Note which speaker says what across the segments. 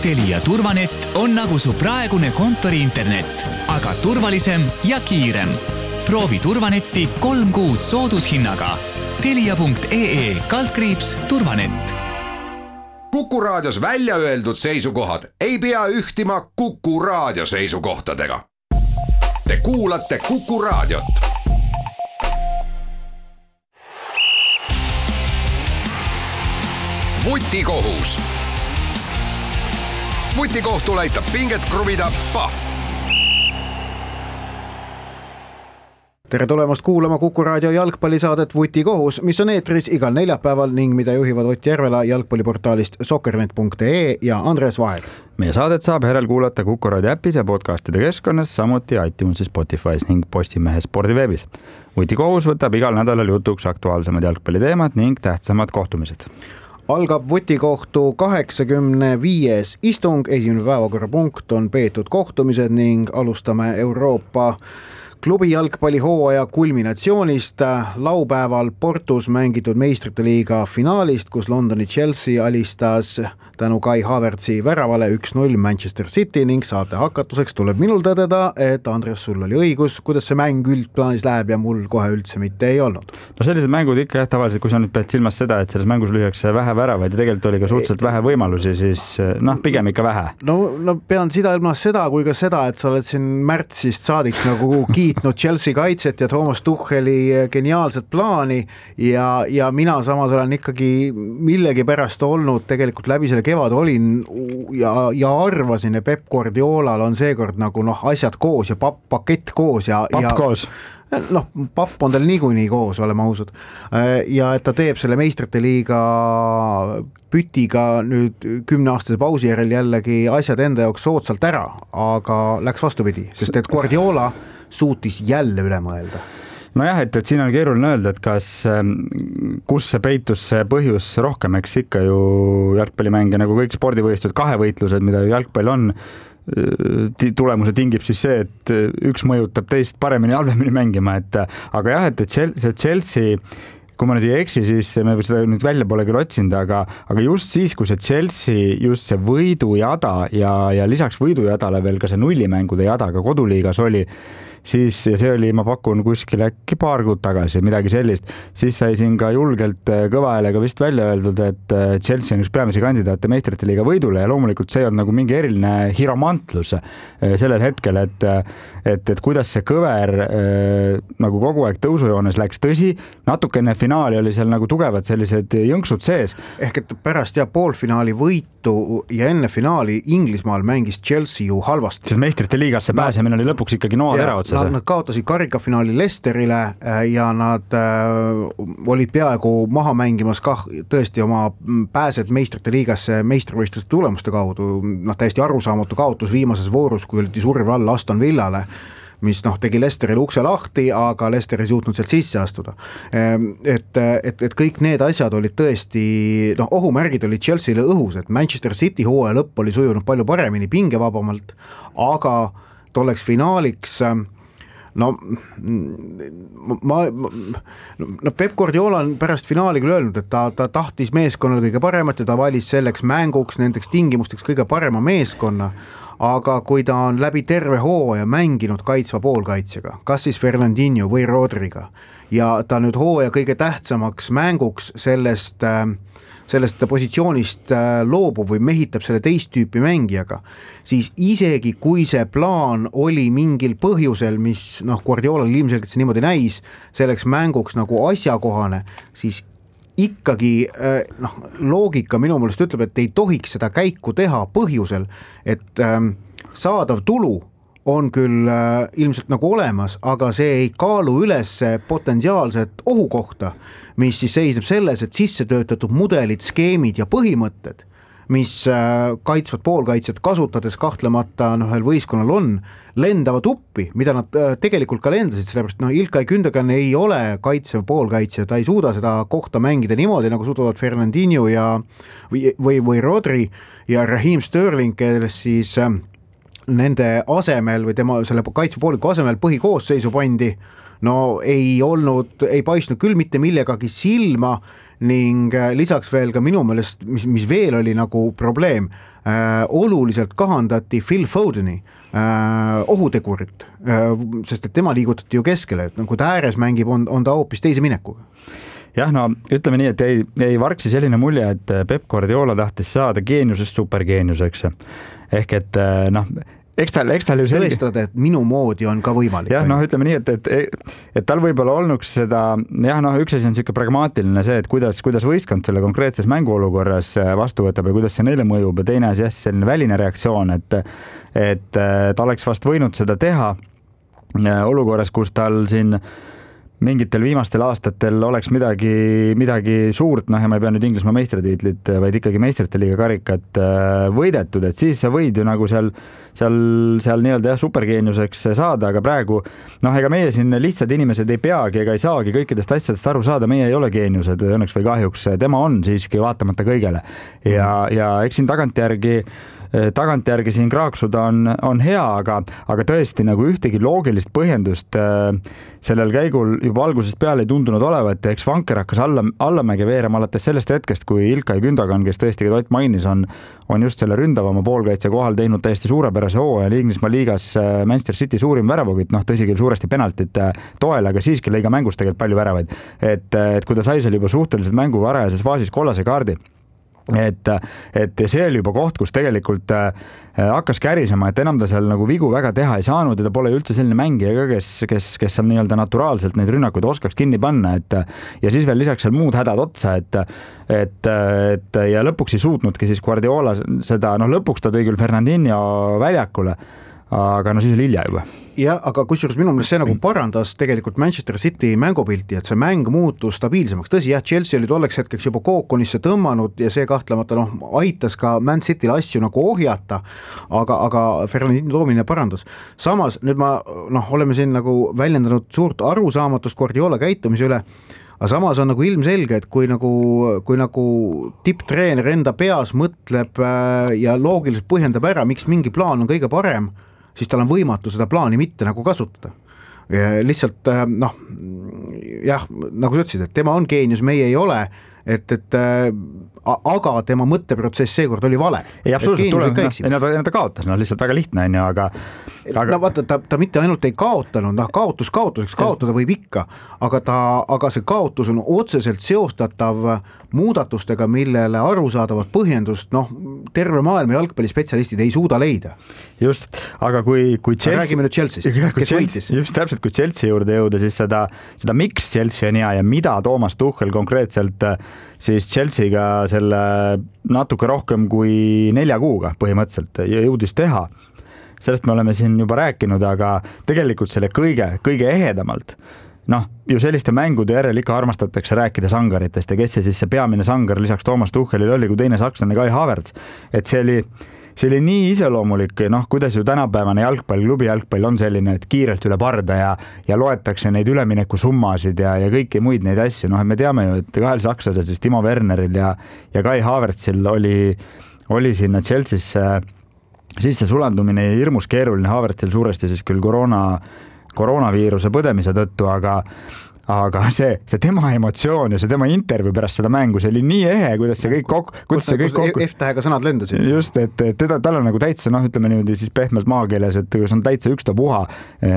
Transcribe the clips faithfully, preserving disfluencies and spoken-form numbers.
Speaker 1: Telia turvanet on nagu su praegune kontori internet, aga turvalisem ja kiirem. Proovi turvanetti kolm kuud soodushinnaga. Telia punkt ee kaldkriips turvanet.
Speaker 2: Kuku Raadios välja öeldud seisukohad ei pea ühtima Kuku Raadio seisukohtadega. Te kuulate Kuku Raadiot. Vutikohus. Vutikohtul aitab pinget kruvida Pahv.
Speaker 3: Tere tulemast kuulama Kuku Raadio jalgpallisaadet Vutikohus, mis on eetris igal neljapäeval ning mida juhivad Ott Järvela jalgpalliportaalist soccernet punkt ee ja Andres Vaher.
Speaker 4: Meie saadet saab järel kuulata Kuku Raadio äpis ja podcastide keskkonnas, samuti iTunesis, Spotify's ning Postimehe spordiveebis. Vutikohus võtab igal nädalal jutuks aktuaalsemad jalgpalliteemad ning tähtsamad kohtumised.
Speaker 3: Algab Vutikohtu kaheksakümne viies istung, esimene päevakorrapunkt on peetud kohtumised ning alustame Euroopa klubi jalgpallihooaja kulminatsioonist. Laupäeval Portus mängitud meistrite liiga finaalist, kus Londoni Chelsea alistas tänu Kai Havertzi väravale üks null Manchester City ning saate hakatuseks tuleb minul tõdeda, et Andres, sul oli õigus, kuidas see mäng üldplaanis läheb ja mul kohe üldse mitte ei olnud.
Speaker 4: No sellised mängud ikka jah, tavaliselt, kui sa nüüd pead silmas seda, et selles mängus lüüakse vähe väravaid ja tegelikult oli ka suhteliselt vähe võimalusi, siis noh, pigem ikka vähe.
Speaker 3: No, no pean seda ilmas seda kui ka seda, et sa oled siin märtsist saadik nagu kiitnud Chelsea kaitset ja Thomas Tucheli geniaalset plaani ja, ja mina samas olen ikkagi millegi pärast olnud tegelikult läbi selle kevad olin ja, ja arvasin, et Pep Guardiolal on seekord nagu noh, asjad koos ja papp, pakett koos ja,
Speaker 4: papp
Speaker 3: ja
Speaker 4: koos.
Speaker 3: Noh, papp on tal niikuinii koos, oleme ausad. Ja et ta teeb selle meistrite liiga pütiga nüüd kümneaastase pausi järel jällegi asjad enda jaoks soodsalt ära, aga läks vastupidi, sest et Guardiola suutis jälle üle mõelda.
Speaker 4: Nojah, et, et siin on keeruline öelda, et kas, kus see peitus see põhjus rohkem, eks ikka ju jalgpallimänge nagu kõik spordivõistlused, kahevõitlused, mida ju jalgpall on, tulemuse tingib siis see, et üks mõjutab teist paremini halvemini mängima, et aga jah, et, et see Chelsea, kui ma nüüd ei eksi, siis me seda nüüd välja pole küll otsinud, aga, aga just siis, kui see Chelsea, just see võidujada ja, ja lisaks võidujadale veel ka see nullimängude jada ka koduliigas oli, siis ja see oli, ma pakun kuskil äkki paar kuud tagasi, midagi sellist, siis sai siin ka julgelt kõva häälega vist välja öeldud, et Chelsea on üks peamisi kandidaate meistrite liiga võidule ja loomulikult see on nagu mingi eriline hiromantlus sellel hetkel, et, et, et kuidas see kõver nagu kogu aeg tõusujoones läks, tõsi, natuke enne finaali oli seal nagu tugevad sellised jõnksud sees.
Speaker 3: Ehk et pärast ja poolfinaali võitu ja enne finaali Inglismaal mängis Chelsea ju halvasti.
Speaker 4: Sest meistrite liigasse pääsemine oli lõpuks ikkagi noad ära otsas.
Speaker 3: Nad, nad kaotasid karikafinaali Leicesterile ja nad äh, olid peaaegu maha mängimas kah tõesti oma pääsed meistrite liigasse meistrivõistluste tulemuste kaudu. Noh, täiesti arusaamatu kaotus viimases voorus, kui olid surve all Aston Villale, mis noh, tegi Leicesteril ukse lahti, aga Leicester ei suutnud sealt sisse astuda. Et, et, et kõik need asjad olid tõesti, noh, ohumärgid olid Chelsea'le õhus, et Manchester City hooaja lõpp oli sujunud palju paremini, pingevabamalt, aga tolleks finaaliks no ma, ma no Pep Guardiola on pärast finaali küll öelnud, et ta, ta tahtis meeskonnal kõige paremat ja ta valis selleks mänguks, nendeks tingimusteks kõige parema meeskonna, aga kui ta on läbi terve hooaja mänginud kaitsva poolkaitsjaga, kas siis Fernandinho või Rodriga ja ta nüüd hooaja kõige tähtsamaks mänguks sellest sellest positsioonist loobub või mehitab selle teist tüüpi mängijaga, siis isegi kui see plaan oli mingil põhjusel, mis noh, Guardiolal ilmselgelt see niimoodi näis, selleks mänguks nagu asjakohane, siis ikkagi noh, loogika minu meelest ütleb, et ei tohiks seda käiku teha põhjusel, et saadav tulu on küll äh, ilmselt nagu olemas, aga see ei kaalu üles potentsiaalset ohukohta, mis siis seisneb selles, et sisse töötatud mudelid, skeemid ja põhimõtted, mis äh, kaitsvad poolkaitsjad kasutades kahtlemata noh, ühel võistkonnal on, lendavad uppi, mida nad äh, tegelikult ka lendasid, sellepärast noh, Ilkay Gündogan ei ole kaitsev poolkaitsja, ta ei suuda seda kohta mängida niimoodi, nagu suudavad Fernandinho ja, või, või, või Rodri ja Raheem Sterling, kelles siis äh, nende asemel või tema selle kaitsepooliku asemel põhikoosseisu pandi, no ei olnud, ei paistnud küll mitte millegagi silma ning lisaks veel ka minu meelest, mis, mis veel oli nagu probleem, äh, oluliselt kahandati Phil Fodeni äh, ohutegurit, äh, sest et tema liigutati ju keskele, et kui ta ääres mängib, on, on ta hoopis teise minekuga.
Speaker 4: Jah, no ütleme nii, et ei, ei varksi selline mulje, et Pep Guardiola tahtis saada geeniusest supergeeniuseks. Ehk et noh, eks tal, eks tal ju selge...
Speaker 3: tõestada, et minu moodi on ka võimalik.
Speaker 4: Jah, noh, ütleme nii, et, et, et tal võib-olla olnuks seda, jah, noh, üks asi on siuke pragmaatiline see, et kuidas, kuidas võistkond selle konkreetses mänguolukorras vastu võtab ja kuidas see neile mõjub ja teine asi, jah, selline väline reaktsioon, et, et ta oleks vast võinud seda teha olukorras, kus tal siin mingitel viimastel aastatel oleks midagi, midagi suurt, noh ja ma ei pea nüüd Inglismaa meistritiitlit, vaid ikkagi meistrite liiga karikat võidetud, et siis sa võid ju nagu seal, seal, seal nii-öelda jah, supergeeniuseks saada, aga praegu, noh, ega meie siin lihtsad inimesed ei peagi ega ei saagi kõikidest asjadest aru saada, meie ei ole geeniused, õnneks või kahjuks, tema on siiski vaatamata kõigele ja, ja eks siin tagantjärgi tagantjärgi siin kraaksuda on, on hea, aga, aga tõesti nagu ühtegi loogilist põhjendust äh, sellel käigul juba algusest peale ei tundunud olevat ja eks Vanker hakkas alla, allamäge veerema alates sellest hetkest, kui Ilkay Gündogan, kes tõesti Ott mainis, on, on just selle ründavama poolkaitse kohal teinud täiesti suurepärase hooaja Inglismaa liigas Manchester City suurim väravukütt, noh tõsi küll suuresti penaltite toel, aga siiski lõi ka mängus tegelikult palju väravaid. Et, et kui ta sai seal juba suhteliselt mängu varajases faasis kollase kaardi, et, et see oli juba koht, kus tegelikult äh, hakkas kärisema, et enam ta seal nagu vigu väga teha ei saanud ja ta pole üldse selline mängija ka, kes, kes, kes seal nii-öelda naturaalselt neid rünnakuid oskaks kinni panna, et ja siis veel lisaks seal muud hädad otsa, et, et, et ja lõpuks ei suutnudki siis Guardiola seda, noh lõpuks ta tõi küll Fernandinho väljakule, aga no siis oli hilja juba.
Speaker 3: Ja, aga kusjuures minu meelest see nagu parandas tegelikult Manchester City mängupilti, et see mäng muutus stabiilsemaks. Tõsi, jah, Chelsea oli tolleks hetkeks juba kookonisse tõmmanud ja see kahtlemata noh, aitas ka Man City'l asju nagu ohjata, aga, aga Fernandinho toomine parandas. Samas, nüüd ma, noh, oleme siin nagu väljendanud suurt arusaamatust Guardiola käitumise üle, aga samas on nagu ilmselge, et kui nagu, kui nagu tipptreener enda peas mõtleb ja loogiliselt põhjendab ära, miks mingi plaan on kõige parem, siis tal on võimatu seda plaani mitte nagu kasutada. Ja lihtsalt, noh, jah, nagu sa ütlesid, et tema on geenius, meie ei ole, et, et aga tema mõtteprotsess seekord oli vale.
Speaker 4: Ei, absoluutselt tuleb, no, ta, ta kaotas, no lihtsalt väga lihtne on ju, aga, aga...
Speaker 3: No vaata, ta, ta mitte ainult ei kaotanud, noh, kaotus kaotuseks, kaotada võib ikka, aga, ta, aga see kaotus on otseselt seostatav muudatustega, millele arusaadavat põhjendust, noh, terve maailma jalgpallispetsialistid ei suuda leida. Just, aga kui, kui Chelsea... Räägime nüüd Chelsea'st, kes
Speaker 4: Chelsea,
Speaker 3: võitis.
Speaker 4: Just täpselt, kui Chelsea juurde jõuda, siis seda, seda miks Chelsea on hea ja mida Toomas Tuchel konkreetselt siis Chelsea'ga selle natuke rohkem kui nelja kuuga põhimõtteliselt jõudis teha. Sellest me oleme siin juba rääkinud, aga tegelikult selle kõige, kõige ehedamalt, noh, ju selliste mängude järel ikka armastatakse rääkida sangaritest ja kes see siis see peamine sangar lisaks Toomas Tuchelil oli, kui teine sakslane Kai Havertz, et see oli, see oli nii iseloomulik, noh, kuidas ju tänapäevane jalgpall, klubi jalgpall on selline, et kiirelt üle parda ja, ja loetakse neid ülemineku summasid ja, ja kõiki muid neid asju, noh, et me teame ju, et kahel sakslasel, siis Timo Werneril ja, ja Kai Havertzil oli, oli sinna Chelsea'sse sisse sulandumine hirmus keeruline, Havertzil suuresti siis küll koroona koroonaviiruse põdemise tõttu, aga aga see, see tema emotsioon ja see tema intervjuu pärast seda mängu, see oli nii ehe, kuidas see kõik kokku, kuidas see kõik kokku...
Speaker 3: F-tähega sõnad lendasid.
Speaker 4: Just, et teda, tal on nagu täitsa, noh, ütleme niimoodi siis pehmelt maakeeles, et kus on täitsa ükstapuha,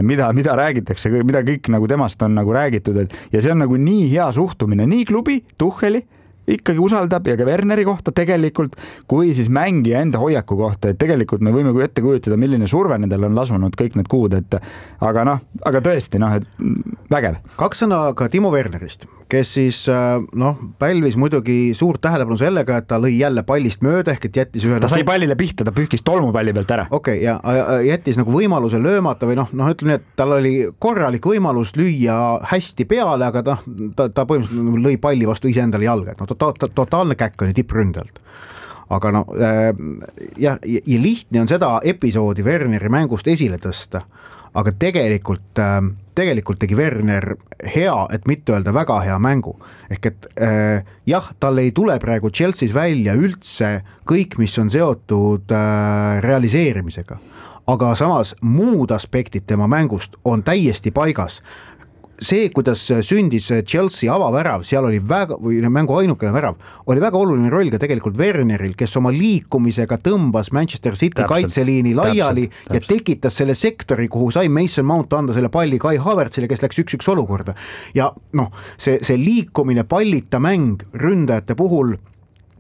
Speaker 4: mida, mida räägitakse, mida kõik nagu temast on nagu räägitud, et ja see on nagu nii hea suhtumine, nii klubi, Tucheli, ikkagi usaldab ja ka Werneri kohta tegelikult, kui siis mängija enda hoiaku kohta, et tegelikult me võime ette kujutada, milline surve nendel on lasunud kõik need kuud, et aga noh, aga tõesti, noh, et vägev.
Speaker 3: Kaks sõna ka Timo Wernerist, kes siis, noh, pälvis muidugi suurt tähelepanu sellega, et ta lõi jälle pallist mööda, ehk et jättis ühe...
Speaker 4: Ta sai pallile pihta, ta pühkis tolmupalli pealt ära.
Speaker 3: Okei, okay, ja jättis nagu võimaluse löömata või noh, noh ütleme nii, et tal oli korralik võimalus lüüa hästi peale, aga ta, ta, ta põhimõtteliselt lõi palli vastu ise endale jalga, et noh, to- totaalne käkk on tippründelt. Aga no äh, ja, ja lihtne on seda episoodi Werneri mängust esile tõsta, aga tegelikult, äh, tegelikult tegi Werner hea, et mitte öelda väga hea mängu. Ehk et äh, jah, tal ei tule praegu Chelsea's välja üldse kõik, mis on seotud äh, realiseerimisega, aga samas muud aspektid tema mängust on täiesti paigas. see, kuidas sündis Chelsea avavärav, seal oli väga, või mängu ainukene värav, oli väga oluline roll ka tegelikult Werneril, kes oma liikumisega tõmbas Manchester City täpselt, kaitseliini laiali täpselt, täpselt. ja tekitas selle sektori, kuhu sai Mason Mount anda selle palli Kai Havertzile, kes läks üks-üks olukorda. Ja noh, see, see liikumine, pallita mäng ründajate puhul,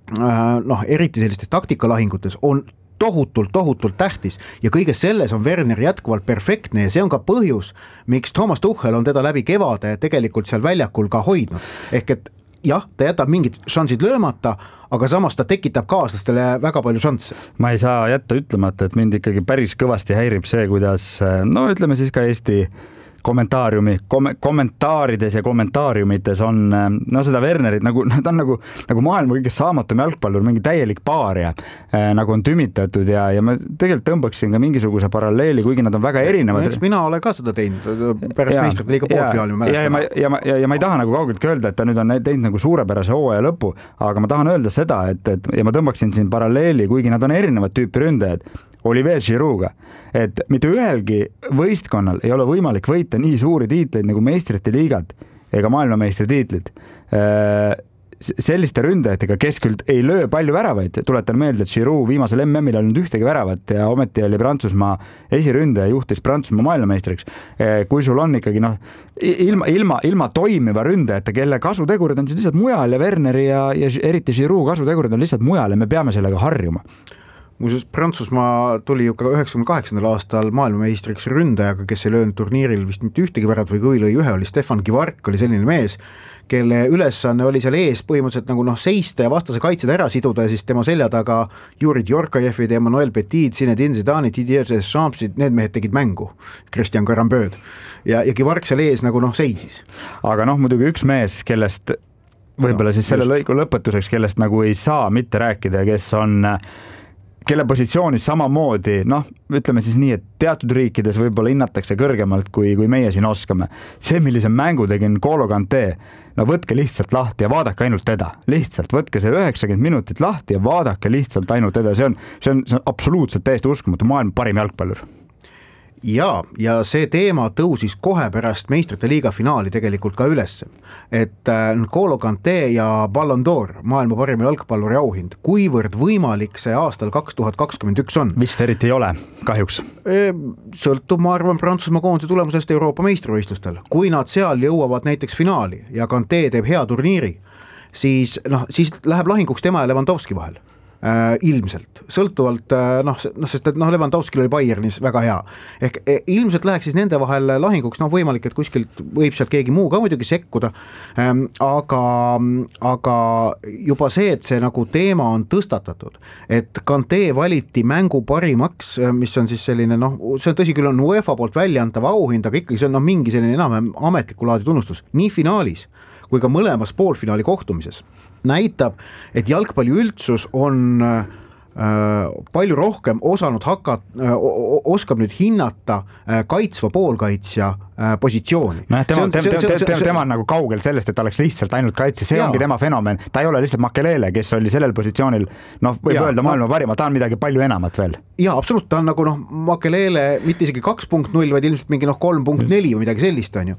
Speaker 3: noh, eriti sellistes taktikalahingutes on tohutult, tohutult tähtis ja kõiges selles on Werner jätkuvalt perfektne ja see on ka põhjus, miks Thomas Tuchel on teda läbi kevade tegelikult seal väljakul ka hoidnud. Ehk et jah, ta jätab mingid šansid löömata, aga samas ta tekitab kaaslastele väga palju šansse.
Speaker 4: Ma ei saa jätta ütlemata, et mind ikkagi päris kõvasti häirib see, kuidas, no ütleme siis ka Eesti kommentaariumi, kom- kommentaarides ja kommentaariumites on no seda Wernerit nagu, ta on nagu, nagu maailma kõige saamatum jalgpallur, mingi täielik paaria, äh, nagu on tümitatud ja, ja ma tegelikult tõmbaksin ka mingisuguse paralleeli, kuigi nad on väga erinevad.
Speaker 3: Eks mina olen ka seda teinud pärast meistrite liiga poolfinaali.
Speaker 4: Ja, ja, ma, ja, ma, ja, ja ma ei taha nagu kaugeltki öelda, et ta nüüd on teinud nagu suurepärase hooaja lõpu, aga ma tahan öelda seda, et, et ja ma tõmbaksin siin paralleeli, kuigi nad on erinevad tüüpi ründajad, Olivier Giroud'ga, et mitte ühelgi võistkonnal ei ole võimalik võita nii suuri tiitleid nagu meistrite liigad ega maailmameistri tiitlid. Selliste ründajatega, kes küll ei löö palju väravaid, tuletan meelde, et Giroud viimasel M M-il oli ühtegi väravat ja ometi oli Prantsusmaa esiründaja, juhtis Prantsusmaa maailmameistriks. Kui sul on ikkagi noh, ilma, ilma, ilma toimiva ründajate, kelle kasutegurid on siis lihtsalt mujal ja Werneri ja, ja eriti Giroud kasutegurid on lihtsalt mujal ja me peame sellega harjuma.
Speaker 3: Muuseas, Prantsusmaa tuli ju ka üheksakümne kaheksandal aastal maailmameistriks ründajaga, kes ei löönud turniiril vist mitte ühtegi värat või kui lõi ühe, oli Stefan Givark, oli selline mees, kelle ülesanne oli seal ees põhimõtteliselt nagu noh, seista ja vastase kaitseda ära siduda ja siis tema selja taga Juri Djorkajevid, Emmanuel Petit, Zinedine Zidane, Didier Deschamps, need mehed tegid mängu, Christian Garambööd ja, ja Givark seal ees nagu noh, seisis.
Speaker 4: Aga noh, muidugi üks mees, kellest võib-olla no, siis selle just. lõigu lõpetuseks, kellest nagu ei saa mitte rääkida, kes on kelle positsioonis samamoodi, noh, ütleme siis nii, et teatud riikides võib-olla hinnatakse kõrgemalt, kui, kui meie siin oskame. See, millise mängu tegin N'Golo Kanté, no võtke lihtsalt lahti ja vaadake ainult teda. Lihtsalt võtke see üheksakümmend minutit lahti ja vaadake lihtsalt ainult teda. See on, see on, see on absoluutselt täiesti uskumatu, maailma parim jalgpallur.
Speaker 3: Ja, ja see teema tõusis kohe pärast meistrite liiga finaali tegelikult ka üles, et N'Golo Kanté ja Ballon d'Or, maailma parima jalgpalluri auhind, kuivõrd võimalik see aastal kaks tuhat kakskümmend üks on?
Speaker 4: Vist eriti ei ole, kahjuks.
Speaker 3: Sõltub, ma arvan, Prantsusmaa koondise tulemusest Euroopa meistrivõistlustel. Kui nad seal jõuavad näiteks finaali ja Kanté teeb hea turniiri, siis, noh, siis läheb lahinguks tema ja Lewandowski vahel. Äh, ilmselt, sõltuvalt äh, noh, noh, sest et noh, Lewandowskil oli Bayernis väga hea, ehk eh, ilmselt läheks siis nende vahel lahinguks, noh võimalik, et kuskilt võib sealt keegi muu ka muidugi sekkuda, ähm, aga, aga juba see, et see nagu teema on tõstatatud, et Kanté valiti mängu parimaks, mis on siis selline noh, see on tõsi küll on UEFA poolt väljaantav auhind, aga ikkagi see on noh, mingi selline enam ametliku laadi tunnustus, nii finaalis kui ka mõlemas poolfinaali kohtumises näitab, et jalgpalli üldsus on äh, palju rohkem osanud hakat, äh, oskab nüüd hinnata äh, kaitsva poolkaitsja äh, positsiooni.
Speaker 4: No, tema, on, tema, tema, tema, tema on nagu kaugel sellest, et ta oleks lihtsalt ainult kaitse, see jaa. Ongi tema fenomen, ta ei ole lihtsalt Makelele, kes oli sellel positsioonil, noh, võib jaa, öelda maailma ma... parima, ta on midagi palju enamat veel. Jaa,
Speaker 3: absoluut, ta on nagu noh, Makelele mitte isegi kaks punkt null, vaid ilmselt mingi noh, kolm punkt neli või midagi sellist on ju.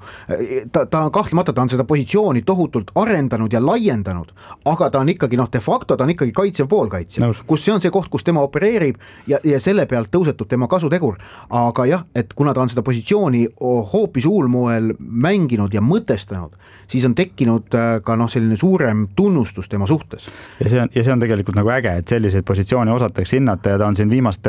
Speaker 3: Ta, ta on kahtlemata, ta on seda positsiooni tohutult arendanud ja laiendanud, aga ta on ikkagi noh, de facto ta on ikkagi kaitsev poolkaitsja, kus see on see koht, kus tema opereerib ja, ja selle pealt tõusetub tema kasutegur, aga jah, et kuna ta on seda positsiooni hoopis uulmoel mänginud ja mõtestanud, siis on tekkinud ka noh, selline suurem tunnustus tema suhtes.
Speaker 4: Ja see on, ja see on tegelikult nagu äge, et selliseid positsiooni osatakse hinnata ja ta on siin viimastel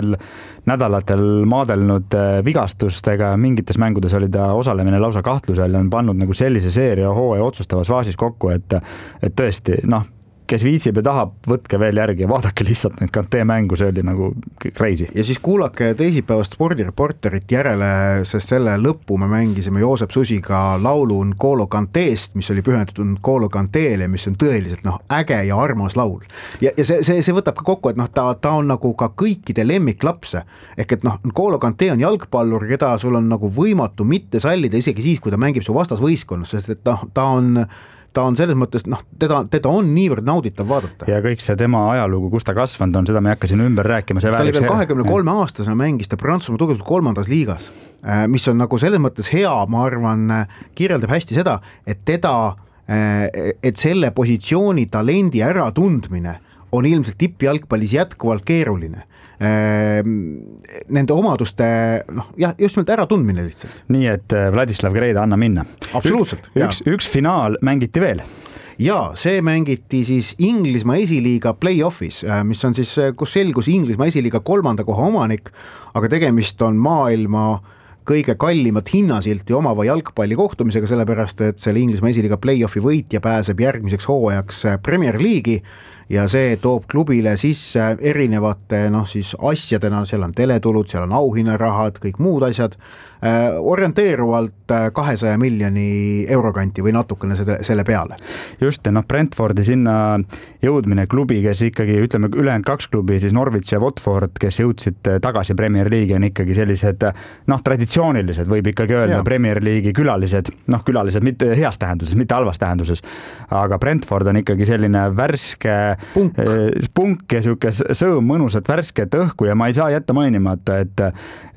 Speaker 4: nädalatel maadelnud vigastustega, mingites mängudes oli ta osalemine lausa kahtlusel ja on pannud nagu sellise seeria hooaja otsustavas faasis kokku, et, et tõesti, noh, kes viitsib ja tahab, võtke veel järgi ja vaadake lihtsalt need Kanté mängu, see oli nagu crazy.
Speaker 3: Ja siis kuulake teisipäevast spordireporterit järele, sest selle lõppu me mängisime Joosep Susiga laulu N'Golo Kantést, mis oli pühendatud N'Golo Kantéle, mis on tõeliselt noh, äge ja armas laul. Ja, ja see, see, see võtab ka kokku, et noh, ta, ta on nagu ka kõikide lemmiklapse, ehk et noh, N'Golo Kanté on jalgpallur, keda sul on nagu võimatu mitte sallida isegi siis, kui ta mängib su vastasvõistkonnas, sest et noh, ta on ta on selles mõttes, noh, teda, teda on niivõrd nauditav vaadata.
Speaker 4: Ja kõik see tema ajalugu, kus ta kasvanud on, seda me hakkasin ümber rääkima.
Speaker 3: Ta oli veel kahekümne kolme aastasena mängis ta Prantsusmaa tugevalt kolmandas liigas, mis on nagu selles mõttes hea, ma arvan, kirjeldab hästi seda, et teda, et selle positsiooni talendi äratundmine on ilmselt tippjalgpallis jätkuvalt keeruline. Nende omaduste, noh, jah, just nimelt äratundmine lihtsalt.
Speaker 4: Nii, et Vladislav Greida anna minna.
Speaker 3: Absoluutselt.
Speaker 4: Üks, üks, üks finaal mängiti veel.
Speaker 3: Ja see mängiti siis Inglismaa esiliiga play-offis, mis on siis, kus selgus Inglismaa esiliiga kolmanda koha omanik, aga tegemist on maailma kõige kallimat hinnasilti omava jalgpalli kohtumisega, sellepärast, et selle Inglismaa esiliiga play-offi võitja pääseb järgmiseks hooajaks Premier League'i ja see toob klubile sisse erinevate, noh siis asjadena, seal on teletulud, seal on auhinnarahad, kõik muud asjad, äh, orienteeruvalt kahesaja miljoni eurokanti või natukene selle peale.
Speaker 4: Just, noh, Brentfordi sinna jõudmine klubi, kes ikkagi, ütleme, ülejäänud kaks klubi, siis Norwich ja Watford, kes jõudsid tagasi Premier League'i, on ikkagi sellised, noh, traditsioonilised, võib ikkagi öelda, ja. Premier League'i külalised, noh, külalised mitte heas tähenduses, mitte halvas tähenduses, aga Brentford on ikkagi selline värske punk, punk ja siuke sõõm mõnusat värsket õhku ja ma ei saa jätta mainimata, et,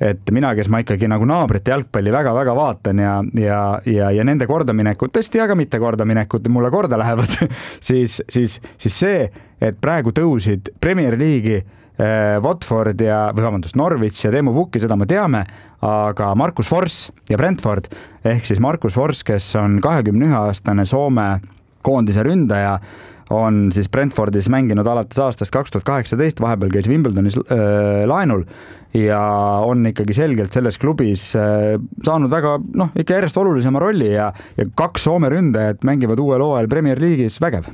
Speaker 4: et mina, kes ma ikkagi nagu naabrite jalgpalli väga-väga vaatan ja, ja, ja, ja nende kordaminekut, tõesti, aga mitte kordaminekut mulle korda lähevad, siis, siis, siis see, et praegu tõusid Premier League'i eh, Watford ja, või vabandust, Norwich ja Teemu Pukki, seda me teame, aga Markus Fors ja Brentford, ehk siis Markus Fors, kes on kahekümne ühe aastane Soome koondise ründaja, on siis Brentfordis mänginud alates aastast kaks tuhat kaheksateist, vahepeal käis Wimbledonis äh, laenul ja on ikkagi selgelt selles klubis äh, saanud väga, noh, ikka järjest olulisema rolli ja, ja kaks Soome ründajat mängivad uuel hooajal Premier League'is vägev.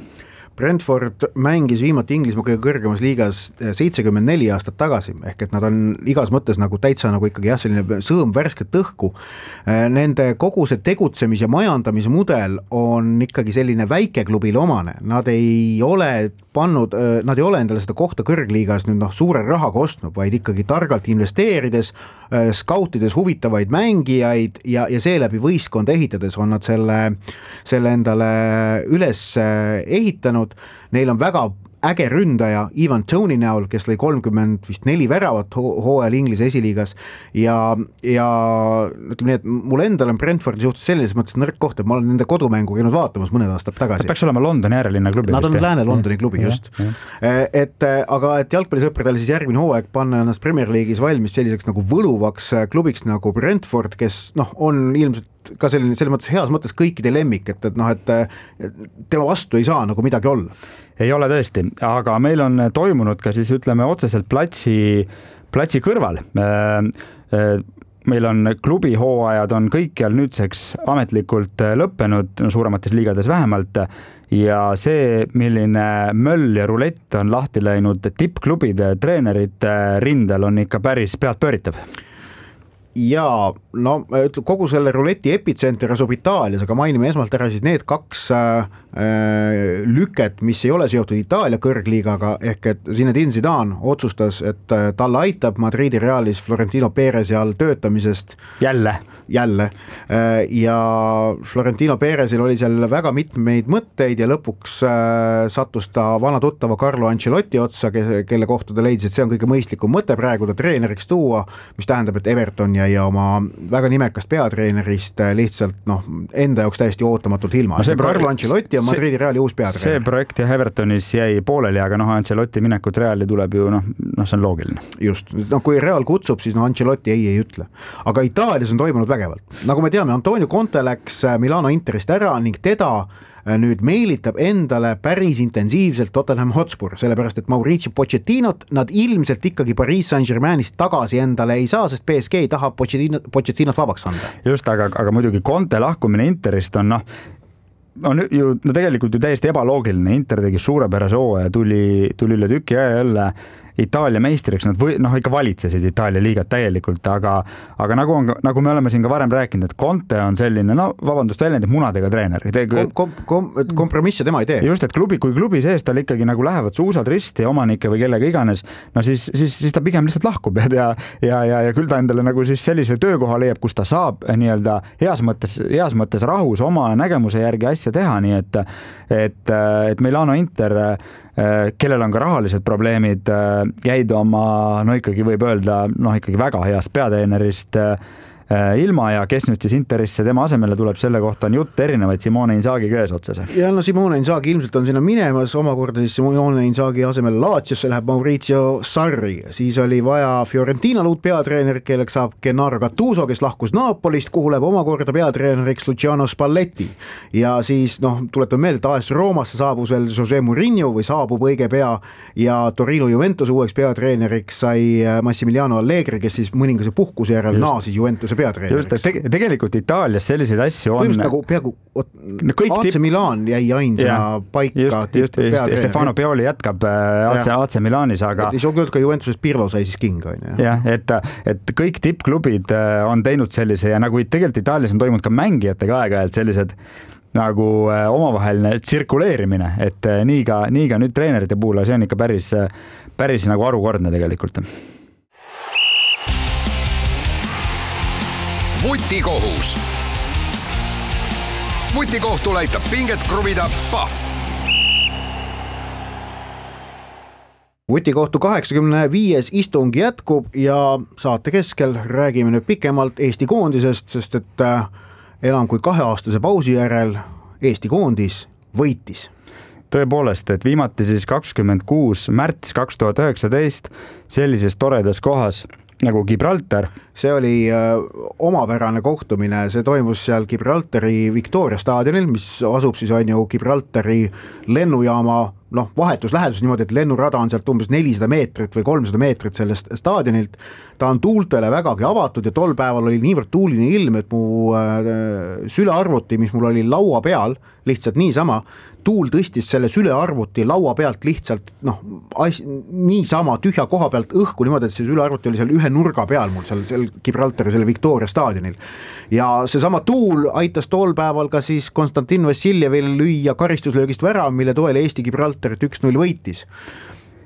Speaker 3: Brentford mängis viimati Inglismaa kõige kõrgemas liigas seitsekümmend neli aastat tagasi, ehk et nad on igas mõttes nagu täitsa nagu ikkagi jah, selline sõõm värsket õhku. Nende kogu see tegutsemis- ja majandamismudel on ikkagi selline väikeklubile omane, nad ei ole pannud, nad ei ole endale seda kohta kõrgliigas nüüd noh, suure rahaga ostnud, vaid ikkagi targalt investeerides, skautides huvitavaid mängijaid ja, ja seeläbi võistkonda ehitades on nad selle, selle endale üles ehitanud. Neil on väga äge ründaja Ivan Toney näol, kes lõi kolmkümmend vist neli väravat hooajal Inglise esiliigas ja, ja ütleme nii, et mul endal on Brentfordi suhtes selles mõttes nõrk koht, et ma olen nende kodumängu käinud vaatamas mõned aastad tagasi.
Speaker 4: See peaks olema Londoni äärelinna klubi.
Speaker 3: Nad on Lääne-Londoni klubi, just. Et, aga et jalgpallisõpradel siis järgmine hooaeg panna ennast Premier League'is valmis selliseks nagu võluvaks klubiks nagu Brentford, kes noh, on ilmselt ka selline, selles mõttes heas mõttes kõikide lemmik, et, et noh, et tema vastu ei saa nagu midagi olla.
Speaker 4: Ei ole tõesti, aga meil on toimunud ka siis ütleme otseselt platsi, platsi kõrval. Meil on klubi hooajad on kõikjal nüüdseks ametlikult lõppenud, suuremates liigades vähemalt, ja see, milline möll ja rulett on lahti läinud tippklubide treenerite rindel, on ikka päris pead pööritav.
Speaker 3: Ja no kogu selle ruleti epitsenter asub Itaalias, aga mainime esmalt ära siis need kaks äh, lüket, mis ei ole seotud Itaalia kõrgliigaga, ehk et Zinedine Zidane otsustas, et äh, talle aitab Madridi Realis Florentino Perezi all töötamisest
Speaker 4: jälle,
Speaker 3: jälle. Äh, ja Florentino Perezil oli seal väga mitmeid mõtteid ja lõpuks äh, sattus ta vana tuttava Carlo Ancelotti otsa, kelle kohta ta leidis, et see on kõige mõistlikum mõte praegu ta treeneriks tuua, mis tähendab, et Everton ja, ja oma väga nimekast peatreenerist lihtsalt noh, enda jaoks täiesti ootamatult ilma. No Carlo Ancelotti ja Madridi Reali uus peatreener.
Speaker 4: See projekt ja Evertonis jäi pooleli, aga noh, Ancelotti minekut Reali tuleb ju noh, noh, see on loogiline.
Speaker 3: Just, no kui Real kutsub, siis no Ancelotti ei, ei ütle. Aga Itaalias on toimunud vägevalt. Nagu me teame, Antonio Conte läks Milano Interist ära ning teda nüüd meelitab endale päris intensiivselt Tottenham Hotspur, sellepärast et Mauricio Pochettinot nad ilmselt ikkagi Paris Saint-Germainist tagasi endale ei saa, sest P S G ei taha Pochettinot, Pochettinot vabaks anda.
Speaker 4: Just, aga, aga muidugi Conte lahkumine Interist on noh, on ju no tegelikult ju täiesti ebaloogiline. Inter tegi suurepärase hooaja, tuli, tuli üle tüki aja jälle Itaalia meistriks, nad või, noh, ikka valitsesid Itaalia liigat täielikult, aga, aga nagu, on, nagu me oleme siin ka varem rääkinud, et Conte on selline, no vabandust, väljendib munadega treener.
Speaker 3: Kom, kom, kom, kompromisse tema ei tee.
Speaker 4: Just, et klubi, kui klubi sees tal ikkagi nagu lähevad suusad risti omanike või kellega iganes, no siis, siis, siis ta pigem lihtsalt lahkub ja, ja, ja, ja küll ta endale nagu siis sellise töökoha leiab, kus ta saab nii-öelda heas mõttes, heas mõttes rahus oma nägemuse järgi asja teha, nii et, et, et Milano Inter, kellel on ka rahalised probleemid, jäid oma, no ikkagi võib öelda, noh ikkagi väga heast peatreenerist ilma ja kes nüüd siis Interisse tema asemele tuleb, selle kohta on jutt erinevaid Simone Inzaghi käes otsas.
Speaker 3: Ja no Simone Inzaghi ilmselt on sinna minemas, omakorda siis Simone Inzaghi asemele Laziosse läheb Maurizio Sarri, siis oli vaja Fiorentina uut peatreener, kelleks saab Gennaro Gattuso, kes lahkus Napolist, kuhu läheb omakorda peatreeneriks Luciano Spalletti ja siis noh, tuletan meelde, et A S Roomasse saabus veel Jose Mourinho või saabub õige pea ja Torino Juventus uueks peatreeneriks sai Massimiliano Allegri, kes siis mõningase puhkuse järel naasis Juventuse
Speaker 4: just, et tegelikult Itaalias selliseid asju on
Speaker 3: nagu peaaegu A C Milan jäi ainsana ja, paika
Speaker 4: just, just, just, Stefano Pioli jätkab A C, A C Milanis, aga
Speaker 3: et ei saa küll ka Juventuses Pirlo sai siis kinga
Speaker 4: jah, et, et kõik tippklubid on teinud sellise ja nagu tegelikult Itaalias on toimunud ka mängijatega aeg-ajalt sellised nagu omavaheline tsirkuleerimine, et nii ka, nii ka nüüd treenerite puhul, see on ikka päris, päris nagu arukordne tegelikult.
Speaker 2: Vutikohus. Vutikohtul aitab pinget kruvida Pahv.
Speaker 3: Vutikohtu kaheksakümne viies istung jätkub ja saate keskel räägime nüüd pikemalt Eesti koondisest, sest et enam kui kaheaastase pausi järel Eesti koondis võitis.
Speaker 4: Tõepoolest, et viimati siis kakskümmend kuus märts kaks tuhat üheksateist sellises toredas kohas nagu Gibraltar.
Speaker 3: See oli äh, omapärane kohtumine, see toimus seal Gibraltari Victoria staadionil, mis asub siis on ju Gibraltari lennujaama noh, vahetus lähedus niimoodi, et lennurada on sealt umbes nelisada meetrit või kolmsada meetrit sellest staadionilt. Ta on tuultele vägagi avatud ja tol päeval oli niivõrd tuuline ilm, et mu äh, sülearvuti, mis mul oli laua peal, lihtsalt niisama, tuul tõstis selle sülearvuti laua pealt lihtsalt noh, niisama tühja koha pealt õhku niimoodi, et see sülearvuti oli seal ühe nurga peal mul seal, seal Gibraltari, selle Victoria staadionil. Ja seesama tuul aitas tol päeval ka siis Konstantin Vassiljevil lüüa karistuslöögist värav, mille toel Eesti Gibraltarit üks null võitis.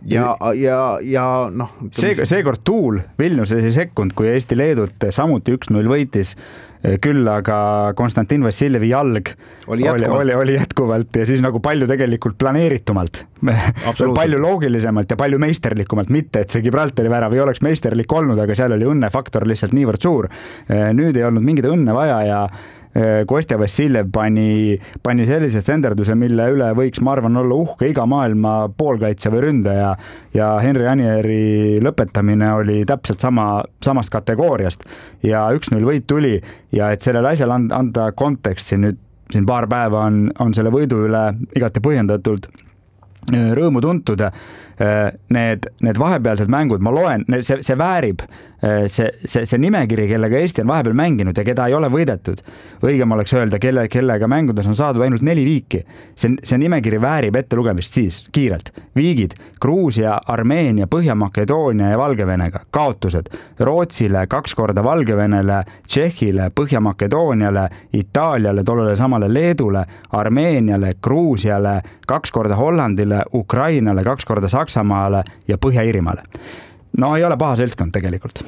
Speaker 3: Ja, ja, ja noh
Speaker 4: see, seekord tuul Vilniuses ei sekkunud, kui Eesti Leedut samuti üks null võitis, küll aga Konstantin Vassiljevi jalg oli jätkuvalt. Oli, oli, oli jätkuvalt ja siis nagu palju tegelikult planeeritumalt, palju loogilisemalt ja palju meisterlikumalt, mitte et see Gibraltari värav ei oleks meisterlik olnud, aga seal oli õnnefaktor lihtsalt niivõrd suur. Nüüd ei olnud mingit õnne vaja ja Kostja Vassiljev pani, pani sellise senderduse, mille üle võiks, ma arvan, olla uhke iga maailma poolkaitse või ründaja ja Henri Anieri lõpetamine oli täpselt sama, samast kategooriast ja üks null võit tuli ja et sellele asjale anda konteksti nüüd siin paar päeva on, on selle võidu üle igati põhjendatult rõõmu tuntud. Need, need vahepealsed mängud, ma loen, see, see väärib, see, see, see nimekiri, kellega Eesti on vahepeal mänginud ja keda ei ole võidetud. Õigem oleks öelda, kelle, kellega mängudes on saadud ainult neli viiki. See, see nimekiri väärib ette lugemist siis kiirelt. Viigid, Gruusia, Armeenia, Põhja-Makedoonia ja Valgevenega. Kaotused Rootsile, kaks korda Valgevenele, Tšehhile, Põhja-Makedooniale, Itaaliale, tollele samale Leedule, Armeeniale, Gruusiale, kaks korda Hollandile, Ukrainale, kaks korda Saksamaale ja Põhja-Iirimaale. No ei ole paha seltskond tegelikult.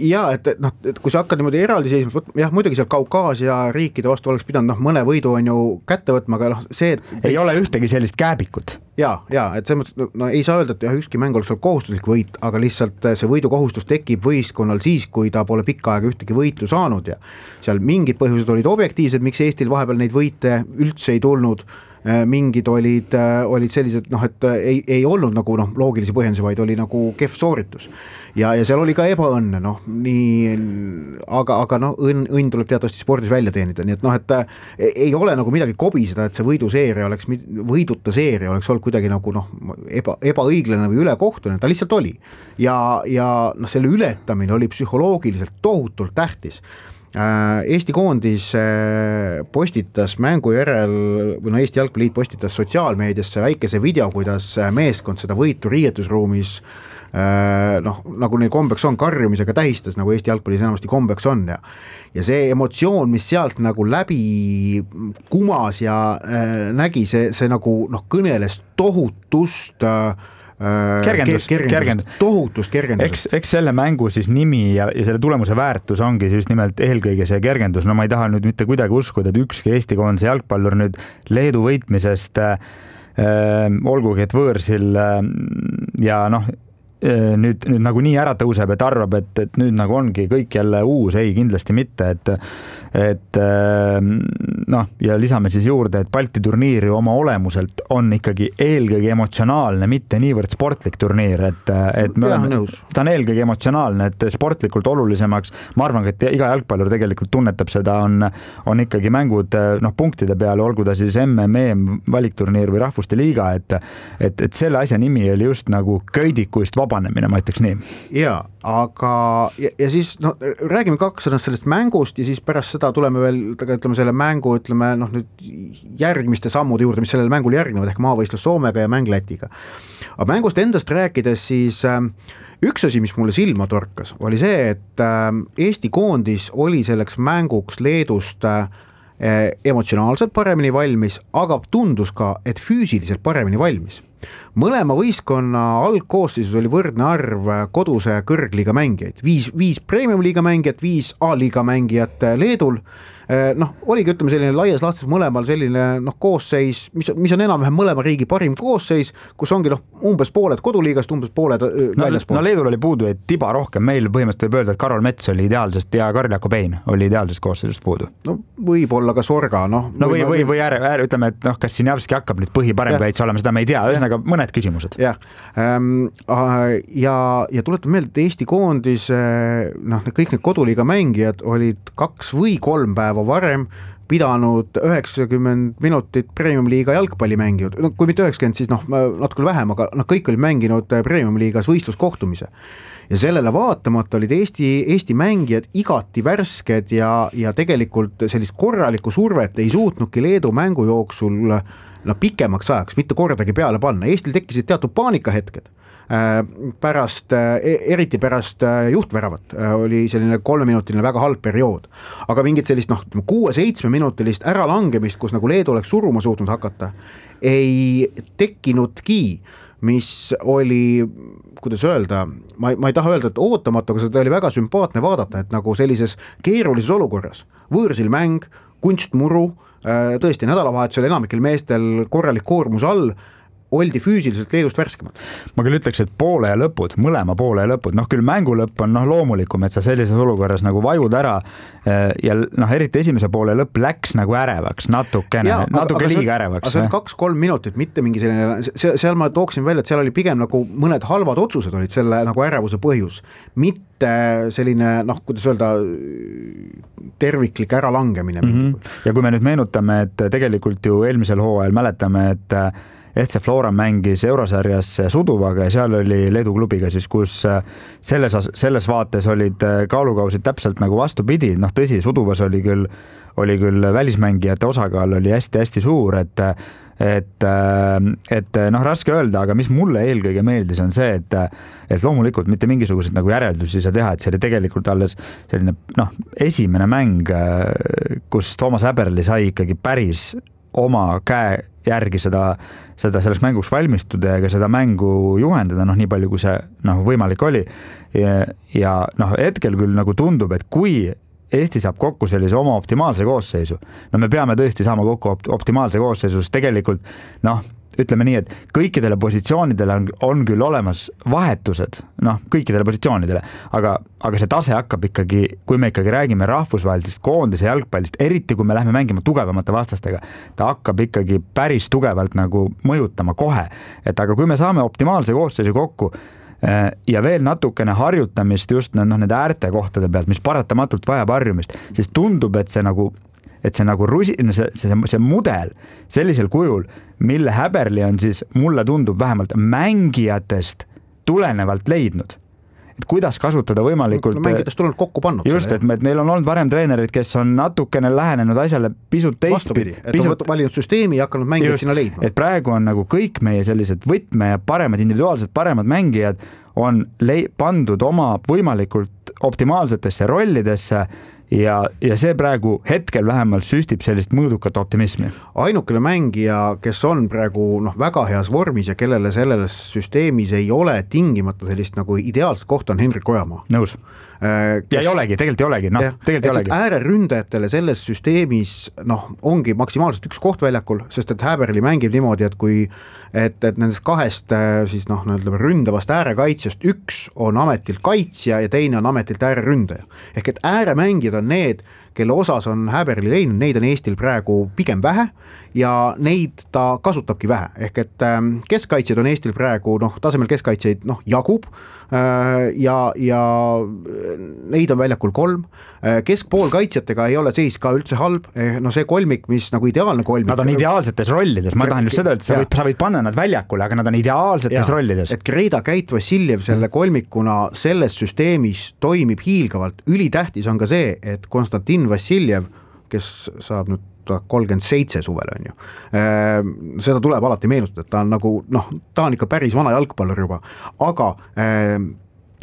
Speaker 3: Ja, et, et, noh, et kui sa hakkad niimoodi eraldi seisma, jah, muidugi seal Kaukaasia riikide vastu oleks pidanud noh, mõne võidu on ju kätte võtma, aga noh, see et...
Speaker 4: ei ole ühtegi sellist kääbikut.
Speaker 3: Ja, ja, et see mõttes, no ei saa öelda, et jah, ükski mäng oleks seal kohustuslik võit, aga lihtsalt see võidukohustus tekib võistkonnal siis, kui ta pole pikka aega ühtegi võitu saanud ja seal mingid põhjused olid objektiivsed, miks Eestil vahepeal neid võite üldse ei tulnud, mingid olid, olid sellised, noh, et ei, ei olnud nagu noh, loogilisi põhjendusi, vaid oli nagu kehv sooritus. Ja, ja seal oli ka ebaõnne, noh, nii, aga, aga noh, õnn, õnn tuleb teatavasti spordis välja teenida, nii et noh, et ei ole nagu midagi kobiseda, et see võiduseeria oleks, võiduta seeria oleks olnud kuidagi nagu noh, eba, ebaõiglane või ülekohtune, ta lihtsalt oli. Ja, ja noh, selle ületamine oli psühholoogiliselt tohutult tähtis. Eesti koondis postitas mängu järel, või no Eesti Jalgpalliliit postitas sotsiaalmeediasse väikese video, kuidas meeskond seda võitu riietusruumis noh, nagu neil kombeks on, karjumisega tähistas, nagu Eesti jalgpallis enamasti kombeks on ja ja see emotsioon, mis sealt nagu läbi kumas ja äh, nägi, see, see nagu noh, kõneles tohutust äh,
Speaker 4: kergendus,
Speaker 3: kergendust,
Speaker 4: kergendus.
Speaker 3: tohutust kergendusest.
Speaker 4: Eks, eks selle mängu siis nimi ja, ja selle tulemuse väärtus ongi just nimelt eelkõige see kergendus. No ma ei taha nüüd mitte kuidagi uskuda, et ükski Eesti koondise jalgpallur nüüd Leedu võitmisest äh, olgugi, et võõrsil äh, ja noh, nüüd, nüüd nagu nii ära tõuseb, et arvab, et, et nüüd nagu ongi kõik jälle uus, ei kindlasti mitte, et et noh, ja lisame siis juurde, et Balti turniir ju oma olemuselt on ikkagi eelkõige emotsionaalne, mitte niivõrd sportlik turniir, et, et me oleme, ta on eelkõige emotsionaalne, et sportlikult olulisemaks, ma arvan, et iga jalgpallur tegelikult tunnetab seda, on, on ikkagi mängud noh, punktide peale, olgu ta siis M M E valikturniir või Rahvuste Liiga, et, et, et selle asja nimi oli just nagu köidikuist vabanemine, ma ütleks nii.
Speaker 3: Jaa, aga ja, ja siis no, räägime kaks sõnast sellest mängust ja siis pärast seda tuleme veel, ütleme selle mängu, ütleme noh nüüd järgmiste sammude juurde, mis sellele mängul järgnevad, ehk maavõistlus Soomega ja mäng Lätiga. Aga mängust endast rääkides siis äh, üks asi, mis mulle silma torkas, oli see, et äh, Eesti koondis oli selleks mänguks Leedust äh, emotsionaalselt paremini valmis, aga tundus ka, et füüsiliselt paremini valmis. Mõlema võistkonna algkoosseisus oli võrdne arv koduse kõrgliiga mängijaid, viis, viis premium-liiga mängijat, viis A-liiga mängijat Leedul, noh, oligi ütleme selline laias laastus mõlemal selline noh, koosseis, mis, mis on enam-vähem mõlema riigi parim koosseis, kus ongi noh, umbes pooled koduliigast, umbes pooled no, väljaspool.
Speaker 4: No Leedul oli puudu, et tiba rohkem, meil põhimõtteliselt võib öelda, et Karol Mets oli ideaalsest ja Karl-Jaako Pein oli ideaalsest koosseisust puudu.
Speaker 3: No võib-olla ka Sorga, noh.
Speaker 4: No või, või, või ääre, ääre, ütleme, et noh, kas Sinjavski hakkab nüüd põhi parem kaitse olema, seda me ei tea, ühesõnaga mõned küsimused.
Speaker 3: Jah, ja, ja tuletan meelde, et Eesti koondis, noh, kõik need koduliiga mängijad olid kaks või kolm päeva varem pidanud üheksakümmend minutit premium-liiga jalgpalli mänginud, no kui mitte üheksakümmend, siis noh, natuke vähem, aga noh, kõik olid mänginud premium-liigas võistluskohtumise. Ja sellele vaatamata olid Eesti, Eesti mängijad igati värsked ja, ja tegelikult sellist korralikku survet ei suutnudki Leedu mängu jooksul no, pikemaks ajaks, mitte kordagi peale panna. Eestil tekkisid teatud paanikahetked. Pärast, eriti pärast juhtväravat oli selline kolmeminutiline väga halb periood, aga mingit sellist noh, kuue-seitsme minutilist äralangemist, kus nagu Leedu oleks suruma suutnud hakata, ei tekkinudki, mis oli, kuidas öelda, ma, ma ei taha öelda, et ootamatu, aga seda oli väga sümpaatne vaadata, et nagu sellises keerulises olukorras, võõrsil mäng, kunstmuru, tõesti nädalavahetusel enamikel meestel korralik koormus all, oldi füüsiliselt Leedust värskemad.
Speaker 4: Ma küll ütleks, et poole ja lõpud, mõlema poole ja lõpud, noh küll mängu lõpp on noh, loomulikum, et sa sellises olukorras nagu vajud ära ja noh, eriti esimese poole lõpp läks nagu ärevaks, natukene, ja, natuke liiga see, ärevaks.
Speaker 3: Aga see on kaks-kolm minutit, mitte mingi selline, seal ma tooksin välja, et seal oli pigem nagu mõned halvad otsused olid selle nagu ärevuse põhjus, mitte selline noh, kuidas öelda, terviklik äralangemine.
Speaker 4: Mm-hmm. Ja kui me nüüd meenutame, et tegelikult ju eelmisel hooajal mäletame, et F C Flora mängis eurosarjas Suduvaga ja seal oli Leedu klubiga siis, kus selles, selles vaates olid kaalukausid täpselt nagu vastupidi, noh tõsi, Suduvas oli küll, oli küll välismängijate osakaal oli hästi-hästi suur, et et, et noh, raske öelda, aga mis mulle eelkõige meeldis on see, et, et loomulikult mitte mingisuguseid nagu järeldusi ei saa teha, et see oli tegelikult alles selline noh, esimene mäng, kus Toomas Häberli sai ikkagi päris oma käe järgi seda, seda selleks mänguks valmistuda ja ka seda mängu juhendada, noh nii palju kui see noh, võimalik oli ja, ja noh, hetkel küll nagu tundub, et kui Eesti saab kokku sellise oma optimaalse koosseisu, no me peame tõesti saama kokku optimaalse koosseisu, sest tegelikult noh, ütleme nii, et kõikidele positsioonidele on, on küll olemas vahetused, noh, kõikidele positsioonidele, aga, aga see tase hakkab ikkagi, kui me ikkagi räägime rahvusvahelisest koondise jalgpallist, eriti kui me lähme mängima tugevamate vastastega, ta hakkab ikkagi päris tugevalt nagu mõjutama kohe, et aga kui me saame optimaalse koosseisu kokku ja veel natukene harjutamist just noh, nende äärte kohtade pealt, mis paratamatult vajab harjumist, siis tundub, et see nagu et see nagu rusi, see, see, see mudel sellisel kujul, mille Häberli on siis, mulle tundub vähemalt mängijatest tulenevalt leidnud. kuidas kasutada võimalikult
Speaker 3: no, mängidest tuleb kokku pannud.
Speaker 4: Just, et, me, et meil on olnud varem treenerid, kes on natukene lähenenud asjale pisut teistpidi.
Speaker 3: Et pisut... on valinud süsteemi ja hakanud mängijad sinna leidma.
Speaker 4: Et praegu on nagu kõik meie sellised võtme ja paremad, individuaalsed paremad mängijad on le- pandud oma võimalikult optimaalsetesse rollidesse ja, ja see praegu hetkel vähemalt süstib sellist mõõdukat optimismi.
Speaker 3: Ainukene mängija, kes on praegu noh, väga heas vormis ja kellele selles süsteemis ei ole tingimata sellist nagu ideaalset kohta on Henrik Ojamaa.
Speaker 4: Nõus. Kes... ja ei olegi, tegelikult ei olegi, noh, tegelikult ei olegi. Ääreründajatele
Speaker 3: selles süsteemis noh, ongi maksimaalselt üks koht väljakul, sest et Häberli mängib niimoodi, et kui et, et nendest kahest siis noh, ründavast äärekaitsjast üks on ametilt kaitsja ja teine on ametilt ääreründaja. Ehk et ääremängijad on need, kelle osas on Häberli leidnud, neid on Eestil praegu pigem vähe ja neid ta kasutabki vähe. Ehk et keskkaitsjad on Eestil praegu noh, tasemel keskkaitsjaid noh, jagub ja, ja neid on väljakul kolm. Keskpool kaitsjatega ei ole seis ka üldse halb, no see kolmik, mis nagu ideaalne kolmik.
Speaker 4: Nad on ideaalsetes rollides, ma tahan just seda, et sa võid, sa võid panna nad väljakule, aga nad on ideaalsetes ja, rollides.
Speaker 3: Et Greda Käit Vassiljev selle kolmikuna selles süsteemis toimib hiilgavalt. Ülitähtis on ka see, et Konstantin Vassiljev, kes saab nüüd kolmkümmend seitse suvel on ju. Seda tuleb alati meenutada, et ta on nagu, noh, ta on ikka päris vana jalgpallur juba, aga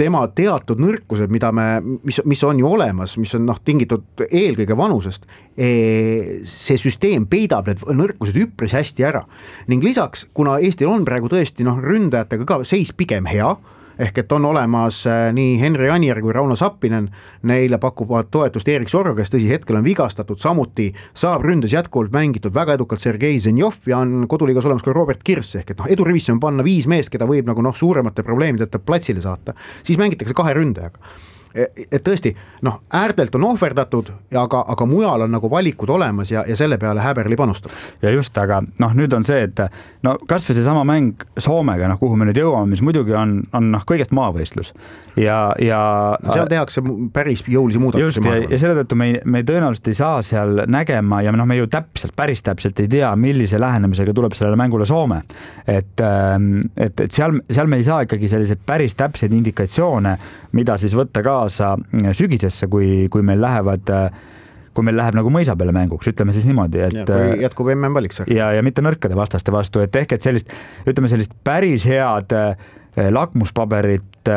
Speaker 3: tema teatud nõrkused, mida me, mis, mis on ju olemas, mis on noh, tingitud eelkõige vanusest, see süsteem peidab need nõrkused üpris hästi ära. Ning lisaks, kuna Eestil on praegu tõesti noh, ründajatega ka seis pigem hea, ehk et on olemas nii Henri Anier kui Rauno Sappinen, neile pakuvad toetust Erik Sorro, kes tõsi hetkel on vigastatud, samuti saab ründes jätkuvalt mängitud väga edukalt Sergei Zenjov ja on koduliigas olemas ka Robert Kirss, ehk et noh, edurivisse on panna viis meest, keda võib nagu noh, suuremate probleemideta platsile saata, siis mängitakse kahe ründajaga. Et tõesti, noh, äärtelt on ohverdatud, aga, aga mujal on nagu valikud olemas ja, ja selle peale Häberli panustab.
Speaker 4: Ja just, aga noh, nüüd on see, et no kas või see sama mäng Soomega, noh, kuhu me nüüd jõuame, mis muidugi on, on noh, kõigest maavõistlus. Ja, ja
Speaker 3: seal tehakse päris jõulisi muudatusi.
Speaker 4: Just, ja, ja selle tõttu me, me tõenäoliselt ei saa seal nägema ja noh, me ju täpselt, päris täpselt ei tea, millise lähenemisega tuleb sellele mängule Soome. Et, et, et seal, seal me ei saa ikkagi selliseid päris täpseid indikatsioone, mida siis võtta ka sügisesse, kui, kui meil lähevad, kui meil läheb nagu mõisa peale mänguks, ütleme siis niimoodi, et
Speaker 3: ja, kui jätkub M M valiks.
Speaker 4: Ja, ja mitte nõrkade vastaste vastu, et ehk et sellist, ütleme sellist päris head lakmuspaberit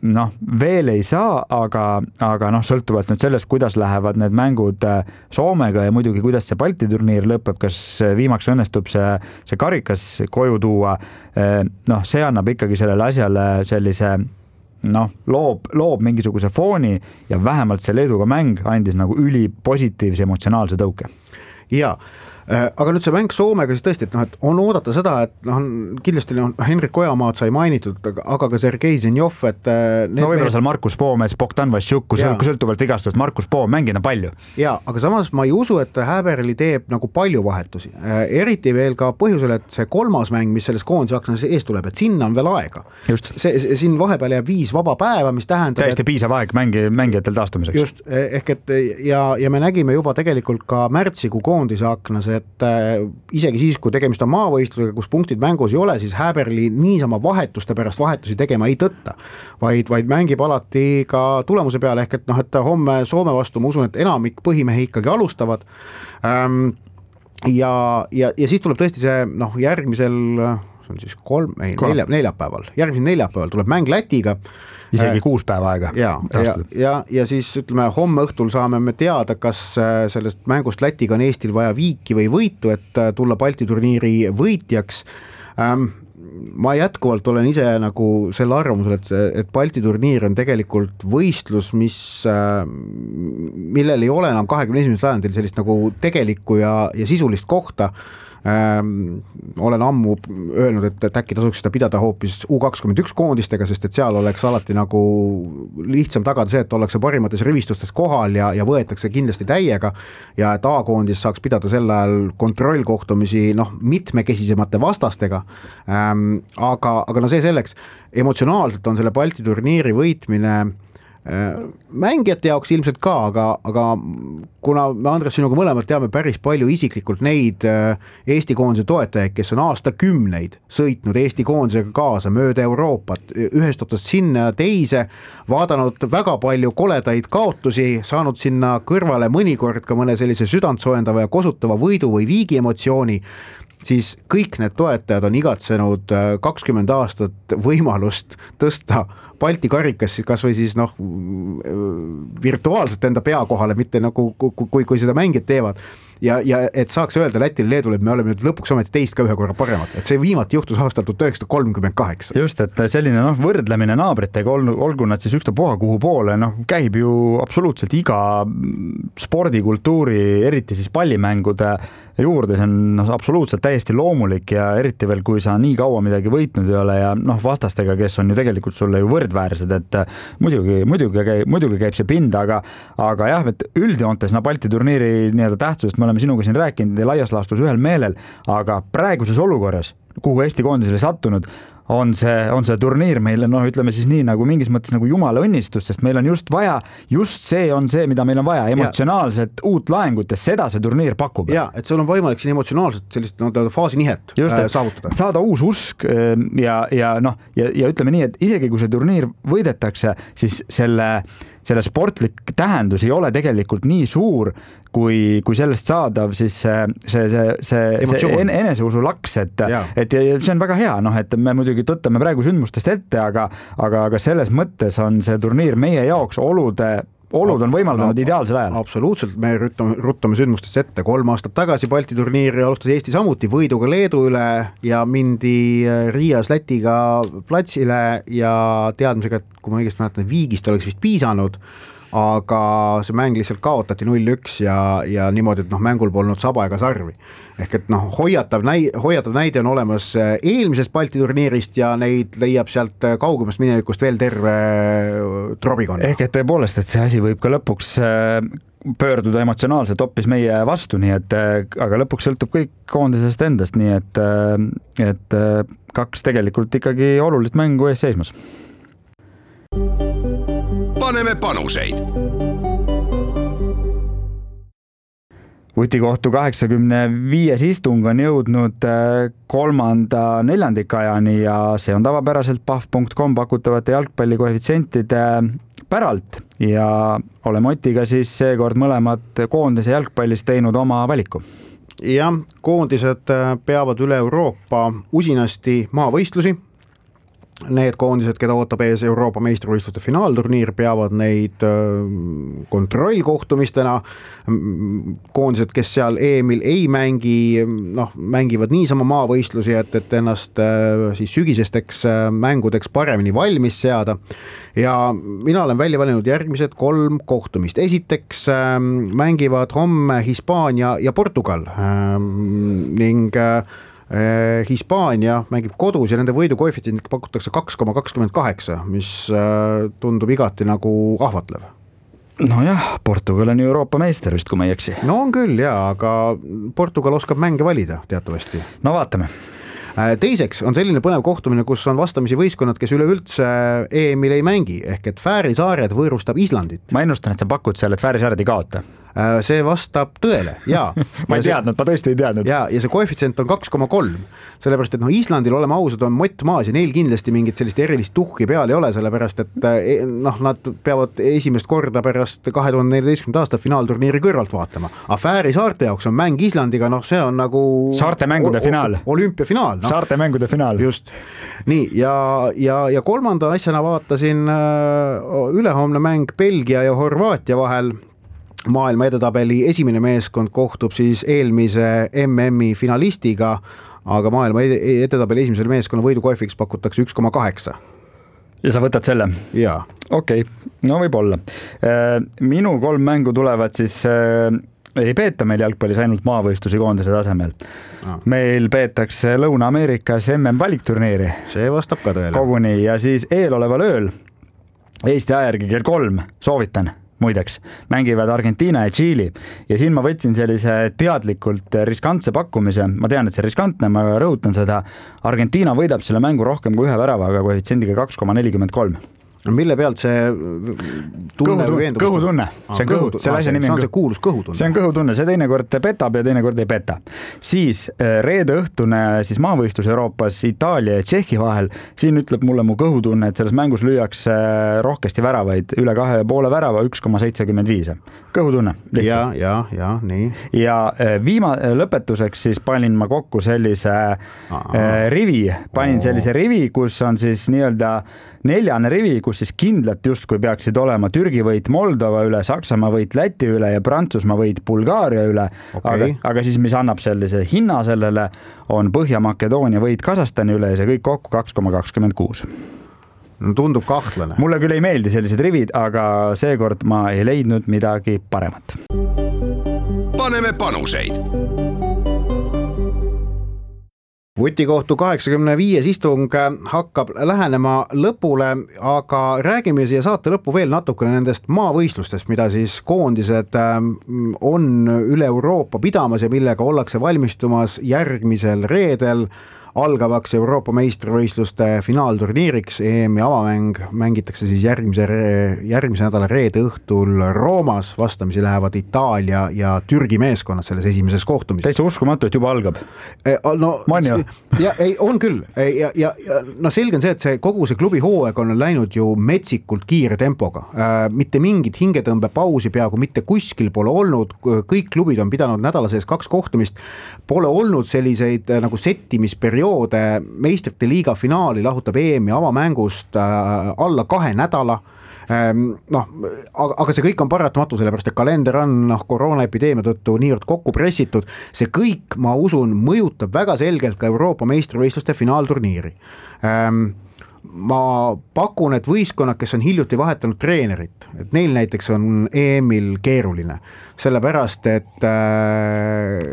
Speaker 4: noh, veel ei saa, aga, aga noh, sõltuvalt nüüd sellest, kuidas lähevad need mängud Soomega ja muidugi, kuidas see Balti turniir lõpeb, kas viimaks õnnestub see, see karikas koju tuua, noh, see annab ikkagi sellele asjale sellise noh, loob, loob mingisuguse fooni ja vähemalt see Leeduga mäng andis nagu üli positiivse emotsionaalse tõuke.
Speaker 3: Ja, aga nüüd see mäng Soomega siis tõesti, et, noh, et on oodata seda, et noh, kindlasti noh, Henrik Ojamaad sai mainitud, aga ka Sergei Zenjov, et
Speaker 4: no võib-olla seal Markus Poomes, Bogdan Vassiuk, kui sõltuvalt vigastust Markus Poom mängida palju.
Speaker 3: Ja, aga samas ma ei usu, et Häberli teeb nagu palju vahetusi. Eriti veel ka põhjusel, et see kolmas mäng, mis selles koondise aknas ees tuleb, et sinna on veel aega.
Speaker 4: Just.
Speaker 3: See, siin vahepeal jääb viis vaba päeva, mis tähendab...
Speaker 4: Täiesti et... piisav aeg mängi, mängijatel taastumiseks.
Speaker 3: Just, ehk et ja, ja me nägime juba tegelikult ka märtsikuu koondise aknas, et isegi siis, kui tegemist on maavõistlusega, kus punktid mängus ei ole, siis Häberli niisama vahetuste pärast vahetusi tegema ei tõtta, vaid, vaid mängib alati ka tulemuse peale, ehk et noh, et homme Soome vastu ma usun, et enamik põhimehi ikkagi alustavad ähm, ja, ja, ja siis tuleb tõesti see noh, järgmisel see on siis kolm, ei, nelja, neljapäeval järgmisel neljapäeval tuleb mäng Lätiga
Speaker 4: isegi kuus päeva aega.
Speaker 3: Ja, ja, ja, ja siis ütleme, homme õhtul saame me teada, kas sellest mängust Lätiga on Eestil vaja viiki või võitu, et tulla Balti turniiri võitjaks. Ähm, ma jätkuvalt olen ise nagu selle arvamusel, et, et Balti turniir on tegelikult võistlus, mis, millel ei ole enam kahekümne esimesel sajandil sellist nagu tegelikku ja, ja sisulist kohta. Ähm, olen ammu öelnud, et, et äkki tasuks seda pidada hoopis U kakskümmend üks koondistega, sest et seal oleks alati nagu lihtsam tagada see, et ollakse parimates rivistustes kohal ja, ja võetakse kindlasti täiega ja et A-koondis saaks pidada sel ajal kontrollkohtumisi noh, mitmekesisemate vastastega. Ähm, aga, aga no see selleks, emotsionaalselt on selle Balti turniiri võitmine mängijate jaoks ilmselt ka, aga, aga kuna me Andres sinuga mõlemad teame päris palju isiklikult neid Eesti koondise toetajaid, kes on aastakümneid sõitnud Eesti koondisega kaasa mööda Euroopat, ühest otsast sinna teise, vaadanud väga palju koledaid kaotusi, saanud sinna kõrvale mõnikord ka mõne sellise südantsoojendava ja kosutava võidu või viigi emotsiooni, siis kõik need toetajad on igatsenud kakskümmend aastat võimalust tõsta Balti karikas kas või siis noh, virtuaalselt enda pea kohale, mitte nagu kui, kui seda mängijad teevad. Ja, ja et saaks öelda Lätil Leedule, et me oleme nüüd lõpuks ometi teist ka ühe korra paremad, et see viimati juhtus aastal tuhat üheksasada kolmkümmend kaheksa.
Speaker 4: Just, et selline noh, võrdlemine naabritega, olgu nad siis ükstapuha kuhu poole, noh, käib ju absoluutselt iga spordikultuuri, eriti siis pallimängude juurde, see on noh, absoluutselt täiesti loomulik ja eriti veel, kui sa nii kaua midagi võitnud ei ole ja noh, vastastega, kes on ju tegelikult sulle ju võrdväärsed, et muidugi, muidugi, käib, muidugi käib see pinda, aga, aga jah, et üldjoontes no, Balti turniiri nii-öelda tähtsusest me oleme sinuga siin rääkinud ja laias laastus ühel meelel, aga praeguses olukorras, kuhu Eesti koondisele sattunud, on see, on see turniir meile, noh, ütleme siis nii nagu mingis mõttes nagu jumala õnnistus, sest meil on just vaja, just see on see, mida meil on vaja, emotsionaalset ja. Uut laengut ja seda see turniir pakub.
Speaker 3: Ja, et sul on võimalik siin emotsionaalselt sellist no, faasinihet just, äh, saavutada.
Speaker 4: Saada uus usk ja, ja noh, ja, ja ütleme nii, et isegi kui see turniir võidetakse, siis selle selle sportlik tähendus ei ole tegelikult nii suur, kui, kui sellest saadav siis see, see, see, see, see eneseusu laks, et, et see on väga hea, noh, et me muidugi tõttame praegu sündmustest ette, aga, aga, aga selles mõttes on see turniir meie jaoks olude olud on võimaldanud ideaalsel ajal.
Speaker 3: Absoluutselt, me ruttame, ruttame sündmustest ette. Kolm aastat tagasi Balti turniiri alustas Eesti samuti võiduga Leedu üle ja mindi Riias Lätiga platsile ja teadmisega, et kui ma õigesti mäletan, viigist oleks vist piisanud, aga see mäng lihtsalt kaotati null üks ja, ja niimoodi, et noh, mängul polnud saba ega sarvi. Ehk et noh, hoiatav, näi, hoiatav näide on olemas eelmisest Balti turniirist ja neid leiab sealt kaugemast minevikust veel terve trobikonna.
Speaker 4: Ehk et tõepoolest, et see asi võib ka lõpuks pöörduda emotsionaalselt hoppis meie vastu, nii et aga lõpuks sõltub kõik koondisest endast, nii et, et kaks tegelikult ikkagi olulist mängu ees seismas.
Speaker 2: Paneme panuseid.
Speaker 4: Vutikohtu kaheksakümne viies istung on jõudnud kolmanda neljandikajani ja see on tavapäraselt pahv punkt com pakutavate jalgpallikoefitsientide päralt ja oleme Otiga siis seekord mõlemad koondise jalgpallis teinud oma valiku.
Speaker 3: Jah, koondised peavad üle Euroopa usinasti maavõistlusi. Need koondised, keda ootab ees Euroopa meistrivõistluste finaalturniir, peavad neid kontrollkohtumistena. Koondised, kes seal E M-il ei mängi, noh, mängivad niisama maavõistlusi, et, et ennast siis sügisesteks mängudeks paremini valmis seada. Ja mina olen välja valinud järgmised kolm kohtumist. Esiteks mängivad homme Hispaania ja Portugal ning Hispaania mängib kodus ja nende võidu koefitsient pakutakse kaks koma kakskümmend kaheksa, mis tundub igati nagu ahvatlev.
Speaker 4: No jah, Portugal on Euroopa meister vist, kui ma ei eksi.
Speaker 3: No on küll, jaa, aga Portugal oskab mänge valida teatavasti.
Speaker 4: No vaatame.
Speaker 3: Teiseks on selline põnev kohtumine, kus on vastamisi võistkonnad, kes üleüldse E M-il ei mängi, ehk et Fääri saared võõrustab Islandit.
Speaker 4: Ma ennustan, et sa pakud seal, et Fääri saared ei kaota.
Speaker 3: See vastab tõele, jaa.
Speaker 4: ma ei teadnud, ma tõesti ei teadnud.
Speaker 3: Ja, ja see koefitsient on kaks koma kolm, sellepärast, et no Islandil oleme ausad on mott maas ja neil kindlasti mingit sellist erilist tuhki peal ei ole, sellepärast, et noh, nad peavad esimest korda pärast kahe tuhande neljateistkümnenda aasta finaalturniiri kõrvalt vaatama. A Fääri saarte jaoks on mäng Islandiga, noh, see on nagu
Speaker 4: saarte mängude finaal.
Speaker 3: Olümpiafinaal.
Speaker 4: No. Saarte mängude finaal.
Speaker 3: Just. Nii, ja, ja, ja kolmanda asjana vaatasin ülehomne mäng Belgia ja Horvaatia vahel. Maailma edetabeli esimene meeskond kohtub siis eelmise M M-i finalistiga, aga maailma edetabeli esimesele meeskonna võidukoefiks pakutakse üks koma kaheksa.
Speaker 4: Ja sa võtad selle?
Speaker 3: Jaa.
Speaker 4: Okei, okay. No võib olla. Minu kolm mängu tulevad siis, ei peeta meil jalgpallis ainult maavõistlusi koondise tasemel. No. Meil peetakse Lõuna-Ameerikas M M valikturniiri.
Speaker 3: See vastab ka tõele.
Speaker 4: Koguni ja siis eeloleval ööl Eesti ajärgi kell kolm soovitan. Muideks, mängivad Argentiina ja Tšiili ja siin ma võtsin sellise teadlikult riskantse pakkumise, ma tean, et see riskantne, ma rõhutan seda, Argentiina võidab selle mängu rohkem kui ühe väravaga koefitsiendiga kaks koma nelikümmend kolm.
Speaker 3: mille pealt see tunne või veendumust?
Speaker 4: Kõhutunne, see on kõhu, selle asja nimi
Speaker 3: on see kuulus kõhutunne.
Speaker 4: See on kõhutunne, see teinekord petab ja teinekord ei peta. Siis reede õhtune siis maavõistlus Euroopas Itaalia ja Tšehhi vahel, siin ütleb mulle mu kõhutunne, et selles mängus lüüakse rohkesti väravaid, üle kahe ja poole värava, üks koma seitsekümmend viis. Kõhutunne, lihtsalt.
Speaker 3: Ja, ja, ja, nii.
Speaker 4: Ja viima, lõpetuseks siis panin ma kokku sellise Aa. rivi, panin sellise rivi, kus on siis nii-öelda neljane rivi, kus siis kindlalt justkui peaksid olema Türgi võit Moldova üle, Saksamaa võit Läti üle ja Prantsusmaa võit Bulgaaria üle. Okay. Aga, aga siis, mis annab sellise hinna sellele, on Põhja-Makedoonia võit Kasahstani üle ja see kõik kokku kaks koma kakskümmend kuus.
Speaker 3: No tundub kahtlane.
Speaker 4: Mulle küll ei meeldi sellised rivid, aga seekord ma ei leidnud midagi paremat.
Speaker 2: Paneme panuseid.
Speaker 3: Vutikohtu kaheksakümne viies istung hakkab lähenema lõpule, aga räägime siia saate lõppu veel natukene nendest maavõistlustest, mida siis koondised on üle Euroopa pidamas ja millega ollakse valmistumas järgmisel reedel algavaks Euroopa meistrivõistluste finaalturniiriks. E M-i avamäng mängitakse siis järgmise, järgmise nädala reede õhtul Roomas. Vastamisi lähevad Itaalia ja Türgi meeskonnad selles esimeses kohtumises.
Speaker 4: Täitsa uskumatu, et juba algab.
Speaker 3: No, ja, ei, on küll. Ja, ja, ja no selge on see, et see, kogu see klubi hooaeg on läinud ju metsikult kiire tempoga. Mitte mingit hingetõmbe pausi peaaegu mitte kuskil pole olnud. Kõik klubid on pidanud nädala sees kaks kohtumist. Pole olnud selliseid nagu settimisperioode. Meistrite liiga finaali lahutab E M-i avamängust alla kahe nädala. noh, aga, aga see kõik on paratamatu, sellepärast et kalender on noh, koroonaepideemia tõttu niivõrd kokku pressitud. See kõik, ma usun, mõjutab väga selgelt ka Euroopa meistrivõistluste finaalturniiri. Ma pakun, et võistkonnad, kes on hiljuti vahetanud treenerit, et neil näiteks on E M-il keeruline, sellepärast et äh,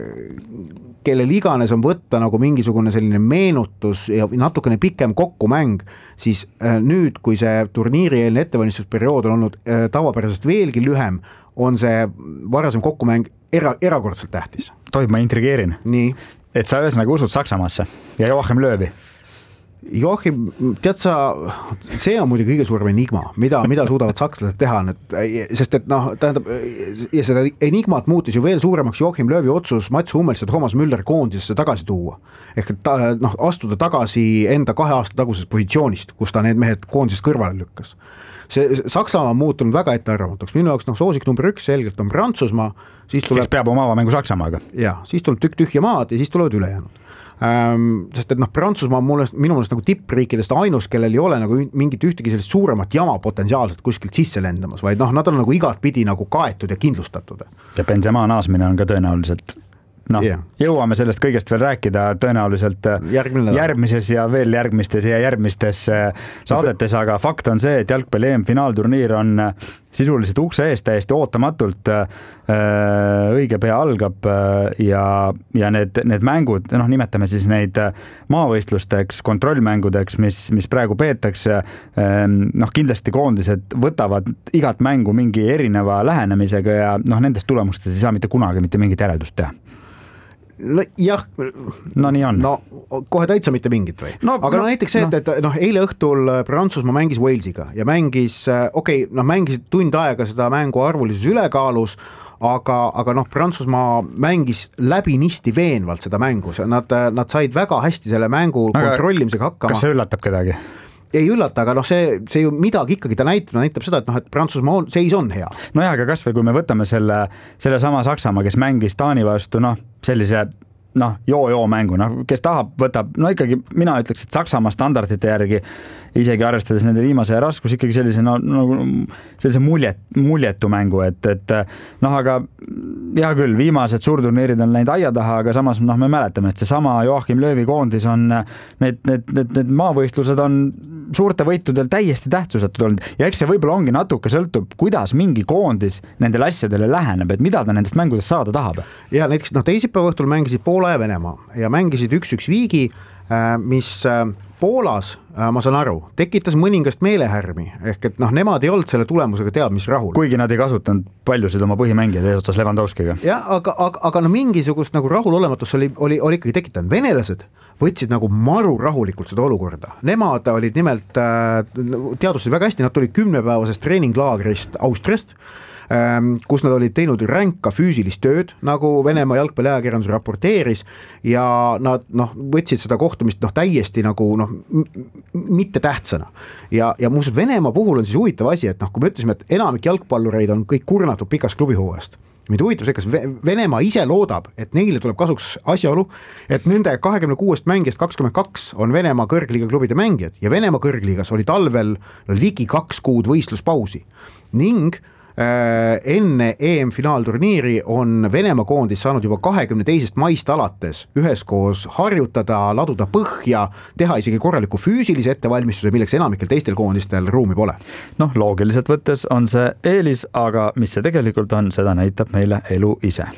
Speaker 3: kellel iganes on võtta nagu mingisugune selline meenutus ja natukene pikem kokkumäng, siis äh, nüüd, kui see turniirieelne ettevalmistusperiood on olnud äh, tavapärasest veelgi lühem, on see varasem kokkumäng era, erakordselt tähtis.
Speaker 4: Tohib, ma intrigeerin.
Speaker 3: Nii.
Speaker 4: Et sa ühesõnaga usud Saksamaasse ja Joachim Löövi.
Speaker 3: Joachim, tead sa, see on muidugi kõige suurem enigma, mida, mida suudavad sakslased teha, sest et noh, tähendab, ja seda enigmat muutis ju veel suuremaks Joachim Löövi otsus Mats Hummels ja Thomas Müller koondisesse tagasi tuua. Ehk et ta, noh, astuda tagasi enda kahe aasta tagusest positsioonist, kus ta need mehed koondisest kõrvale lükkas. See Saksamaa on muutunud väga ettearvamatuks. Minu jaoks noh, soosik number üks selgelt on Prantsusmaa. Siis tuleb,
Speaker 4: kes peab oma avamängu Saksamaaga.
Speaker 3: Ja, siis tuleb tükk tühja maad ja siis tulevad ülejäänud. Ähm, sest et noh, Prantsusmaa on mulle, minu mõnest nagu tippriikidest ainus, kellel ei ole nagu mingit ühtegi sellist suuremat jama potentsiaalselt kuskilt sisse lendamas, vaid noh, nad on nagu igat pidi nagu kaetud ja kindlustatud.
Speaker 4: Ja Benzema naasmine on ka tõenäoliselt, noh, yeah. Jõuame sellest kõigest veel rääkida tõenäoliselt järgmises ja veel järgmistes ja järgmistes saadetes, aga fakt on see, et jalgpalli E M finaalturniir on sisuliselt ukse eest täiesti ootamatult õige pea algab ja, ja need, need mängud, noh, nimetame siis neid maavõistlusteks, kontrollmängudeks, mis, mis praegu peetakse, noh, kindlasti koondised võtavad igat mängu mingi erineva lähenemisega ja noh, nendest tulemustest ei saa mitte kunagi mitte mingit järeldust teha.
Speaker 3: No, jah,
Speaker 4: no nii on.
Speaker 3: No kohe täitsa mitte mingit või. No, aga no, näiteks see, no. et, et noh, eile õhtul Prantsusmaa mängis Walesiga ja mängis, okei, okay, noh, mängis tund aega seda mängu arvulises ülekaalus, aga, aga noh, Prantsusmaa mängis läbinisti veenvalt seda mängu. Nad, nad said väga hästi selle mängu aga kontrollimisega hakkama.
Speaker 4: Kas see üllatab kedagi?
Speaker 3: Ei üllata, aga noh, see, see ju midagi ikkagi ta näitab, näitab seda, et noh, et Prantsusmaa on, seis on hea.
Speaker 4: No jah, aga kas või kui me võtame selle, selle sama Saksamaa, kes mängis Taani vastu, noh, sellise noh, joo-joo mängu, noh, kes tahab, võtab, no ikkagi mina ütleks, et Saksamaa standardite järgi isegi arvestades nende viimase raskus ikkagi sellise, no, no, sellise muljet, muljetu mängu, et, et noh, aga hea küll, viimased suurturniirid on läinud aia taha, aga samas noh, me mäletame, et see sama Joachim Löövi koondis on need, need, need, need maavõistlused on suurte võitudel täiesti tähtsusetud olnud ja eks see võib-olla ongi natuke sõltub, kuidas mingi koondis nendele asjadele läheneb, et mida ta nendest mängudest saada tahab.
Speaker 3: Ja näiteks noh, teisipäeva õhtul mängisid Poola ja Venemaa ja mängisid üks-üks viigi, mis Poolas, ma saan aru, tekitas mõningast meelehärmi, ehk et noh, nemad ei olnud selle tulemusega teab, mis rahul.
Speaker 4: Kuigi nad ei kasutanud paljusid oma põhimängijaid eesotsas Lewandowskiga.
Speaker 3: Ja, aga, aga, aga no mingisugust nagu rahulolematus oli, oli, oli ikkagi tekitanud. Venelased võtsid nagu maru rahulikult seda olukorda. Nemad olid nimelt, teadustasid väga hästi, nad tulid kümnepäevasest treeninglaagrist Austriast, kus nad olid teinud ränka füüsilist tööd, nagu Venemaa jalgpalliajakirjandus raporteeris ja nad noh, võtsid seda kohtumist noh, täiesti nagu noh, mitte tähtsana. Ja, ja muuseas Venemaa puhul on siis huvitav asi, et noh, kui me ütlesime, et enamik jalgpallureid on kõik kurnatud pikast klubihooajast. Mind huvitab see, kas Venemaa ise loodab, et neile tuleb kasuks asjaolu, et nende kahekümne kuuest mängijast kakskümmend kaks on Venemaa kõrgliiga klubide mängijad ja Venemaa kõrgliigas oli talvel ligi kaks kuud võistluspausi ning enne E M-finaalturniiri on Venemaa koondis saanud juba kahekümne teisest maist alates üheskoos harjutada, laduda põhja, teha isegi korraliku füüsilise ettevalmistuse, milleks enamikel teistel koondistel ruumi pole.
Speaker 4: Noh, loogiliselt võttes on see eelis, aga mis see tegelikult on, seda näitab meile elu ise.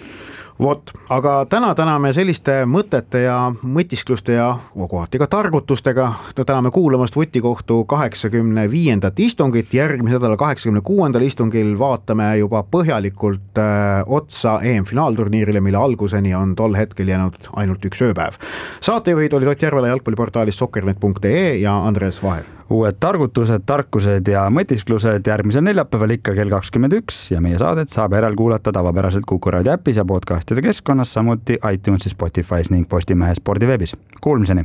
Speaker 3: Vot, aga täna täname selliste mõtete ja mõtiskluste ja kohati ka targutustega. Täname kuulamast Vutikohtu kaheksakümne viiendat istungit. Järgmise nädala kaheksakümne kuuendal istungil vaatame juba põhjalikult äh, otsa E M-finaalturniirile, mille alguseni on tol hetkel jäänud ainult üks ööpäev. Saatejuhid olid Ott Järvela jalgpalliportaalis soccernet punkt ee ja Andres Vaher.
Speaker 4: Uued targutused, tarkused ja mõtisklused järgmisel neljapäeval ikka kell kakskümmend üks ja meie saadet saab järelkuulata tavapäraselt Kuku Raadio äpis ja podcastide keskkonnas, samuti iTunesis, Spotify's ning Postimehe spordiveebis. Kuulmiseni!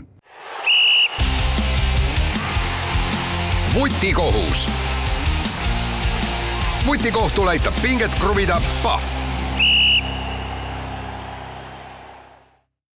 Speaker 2: Vutikohus. Vutikohtul aitab pinget kruvida Pahv.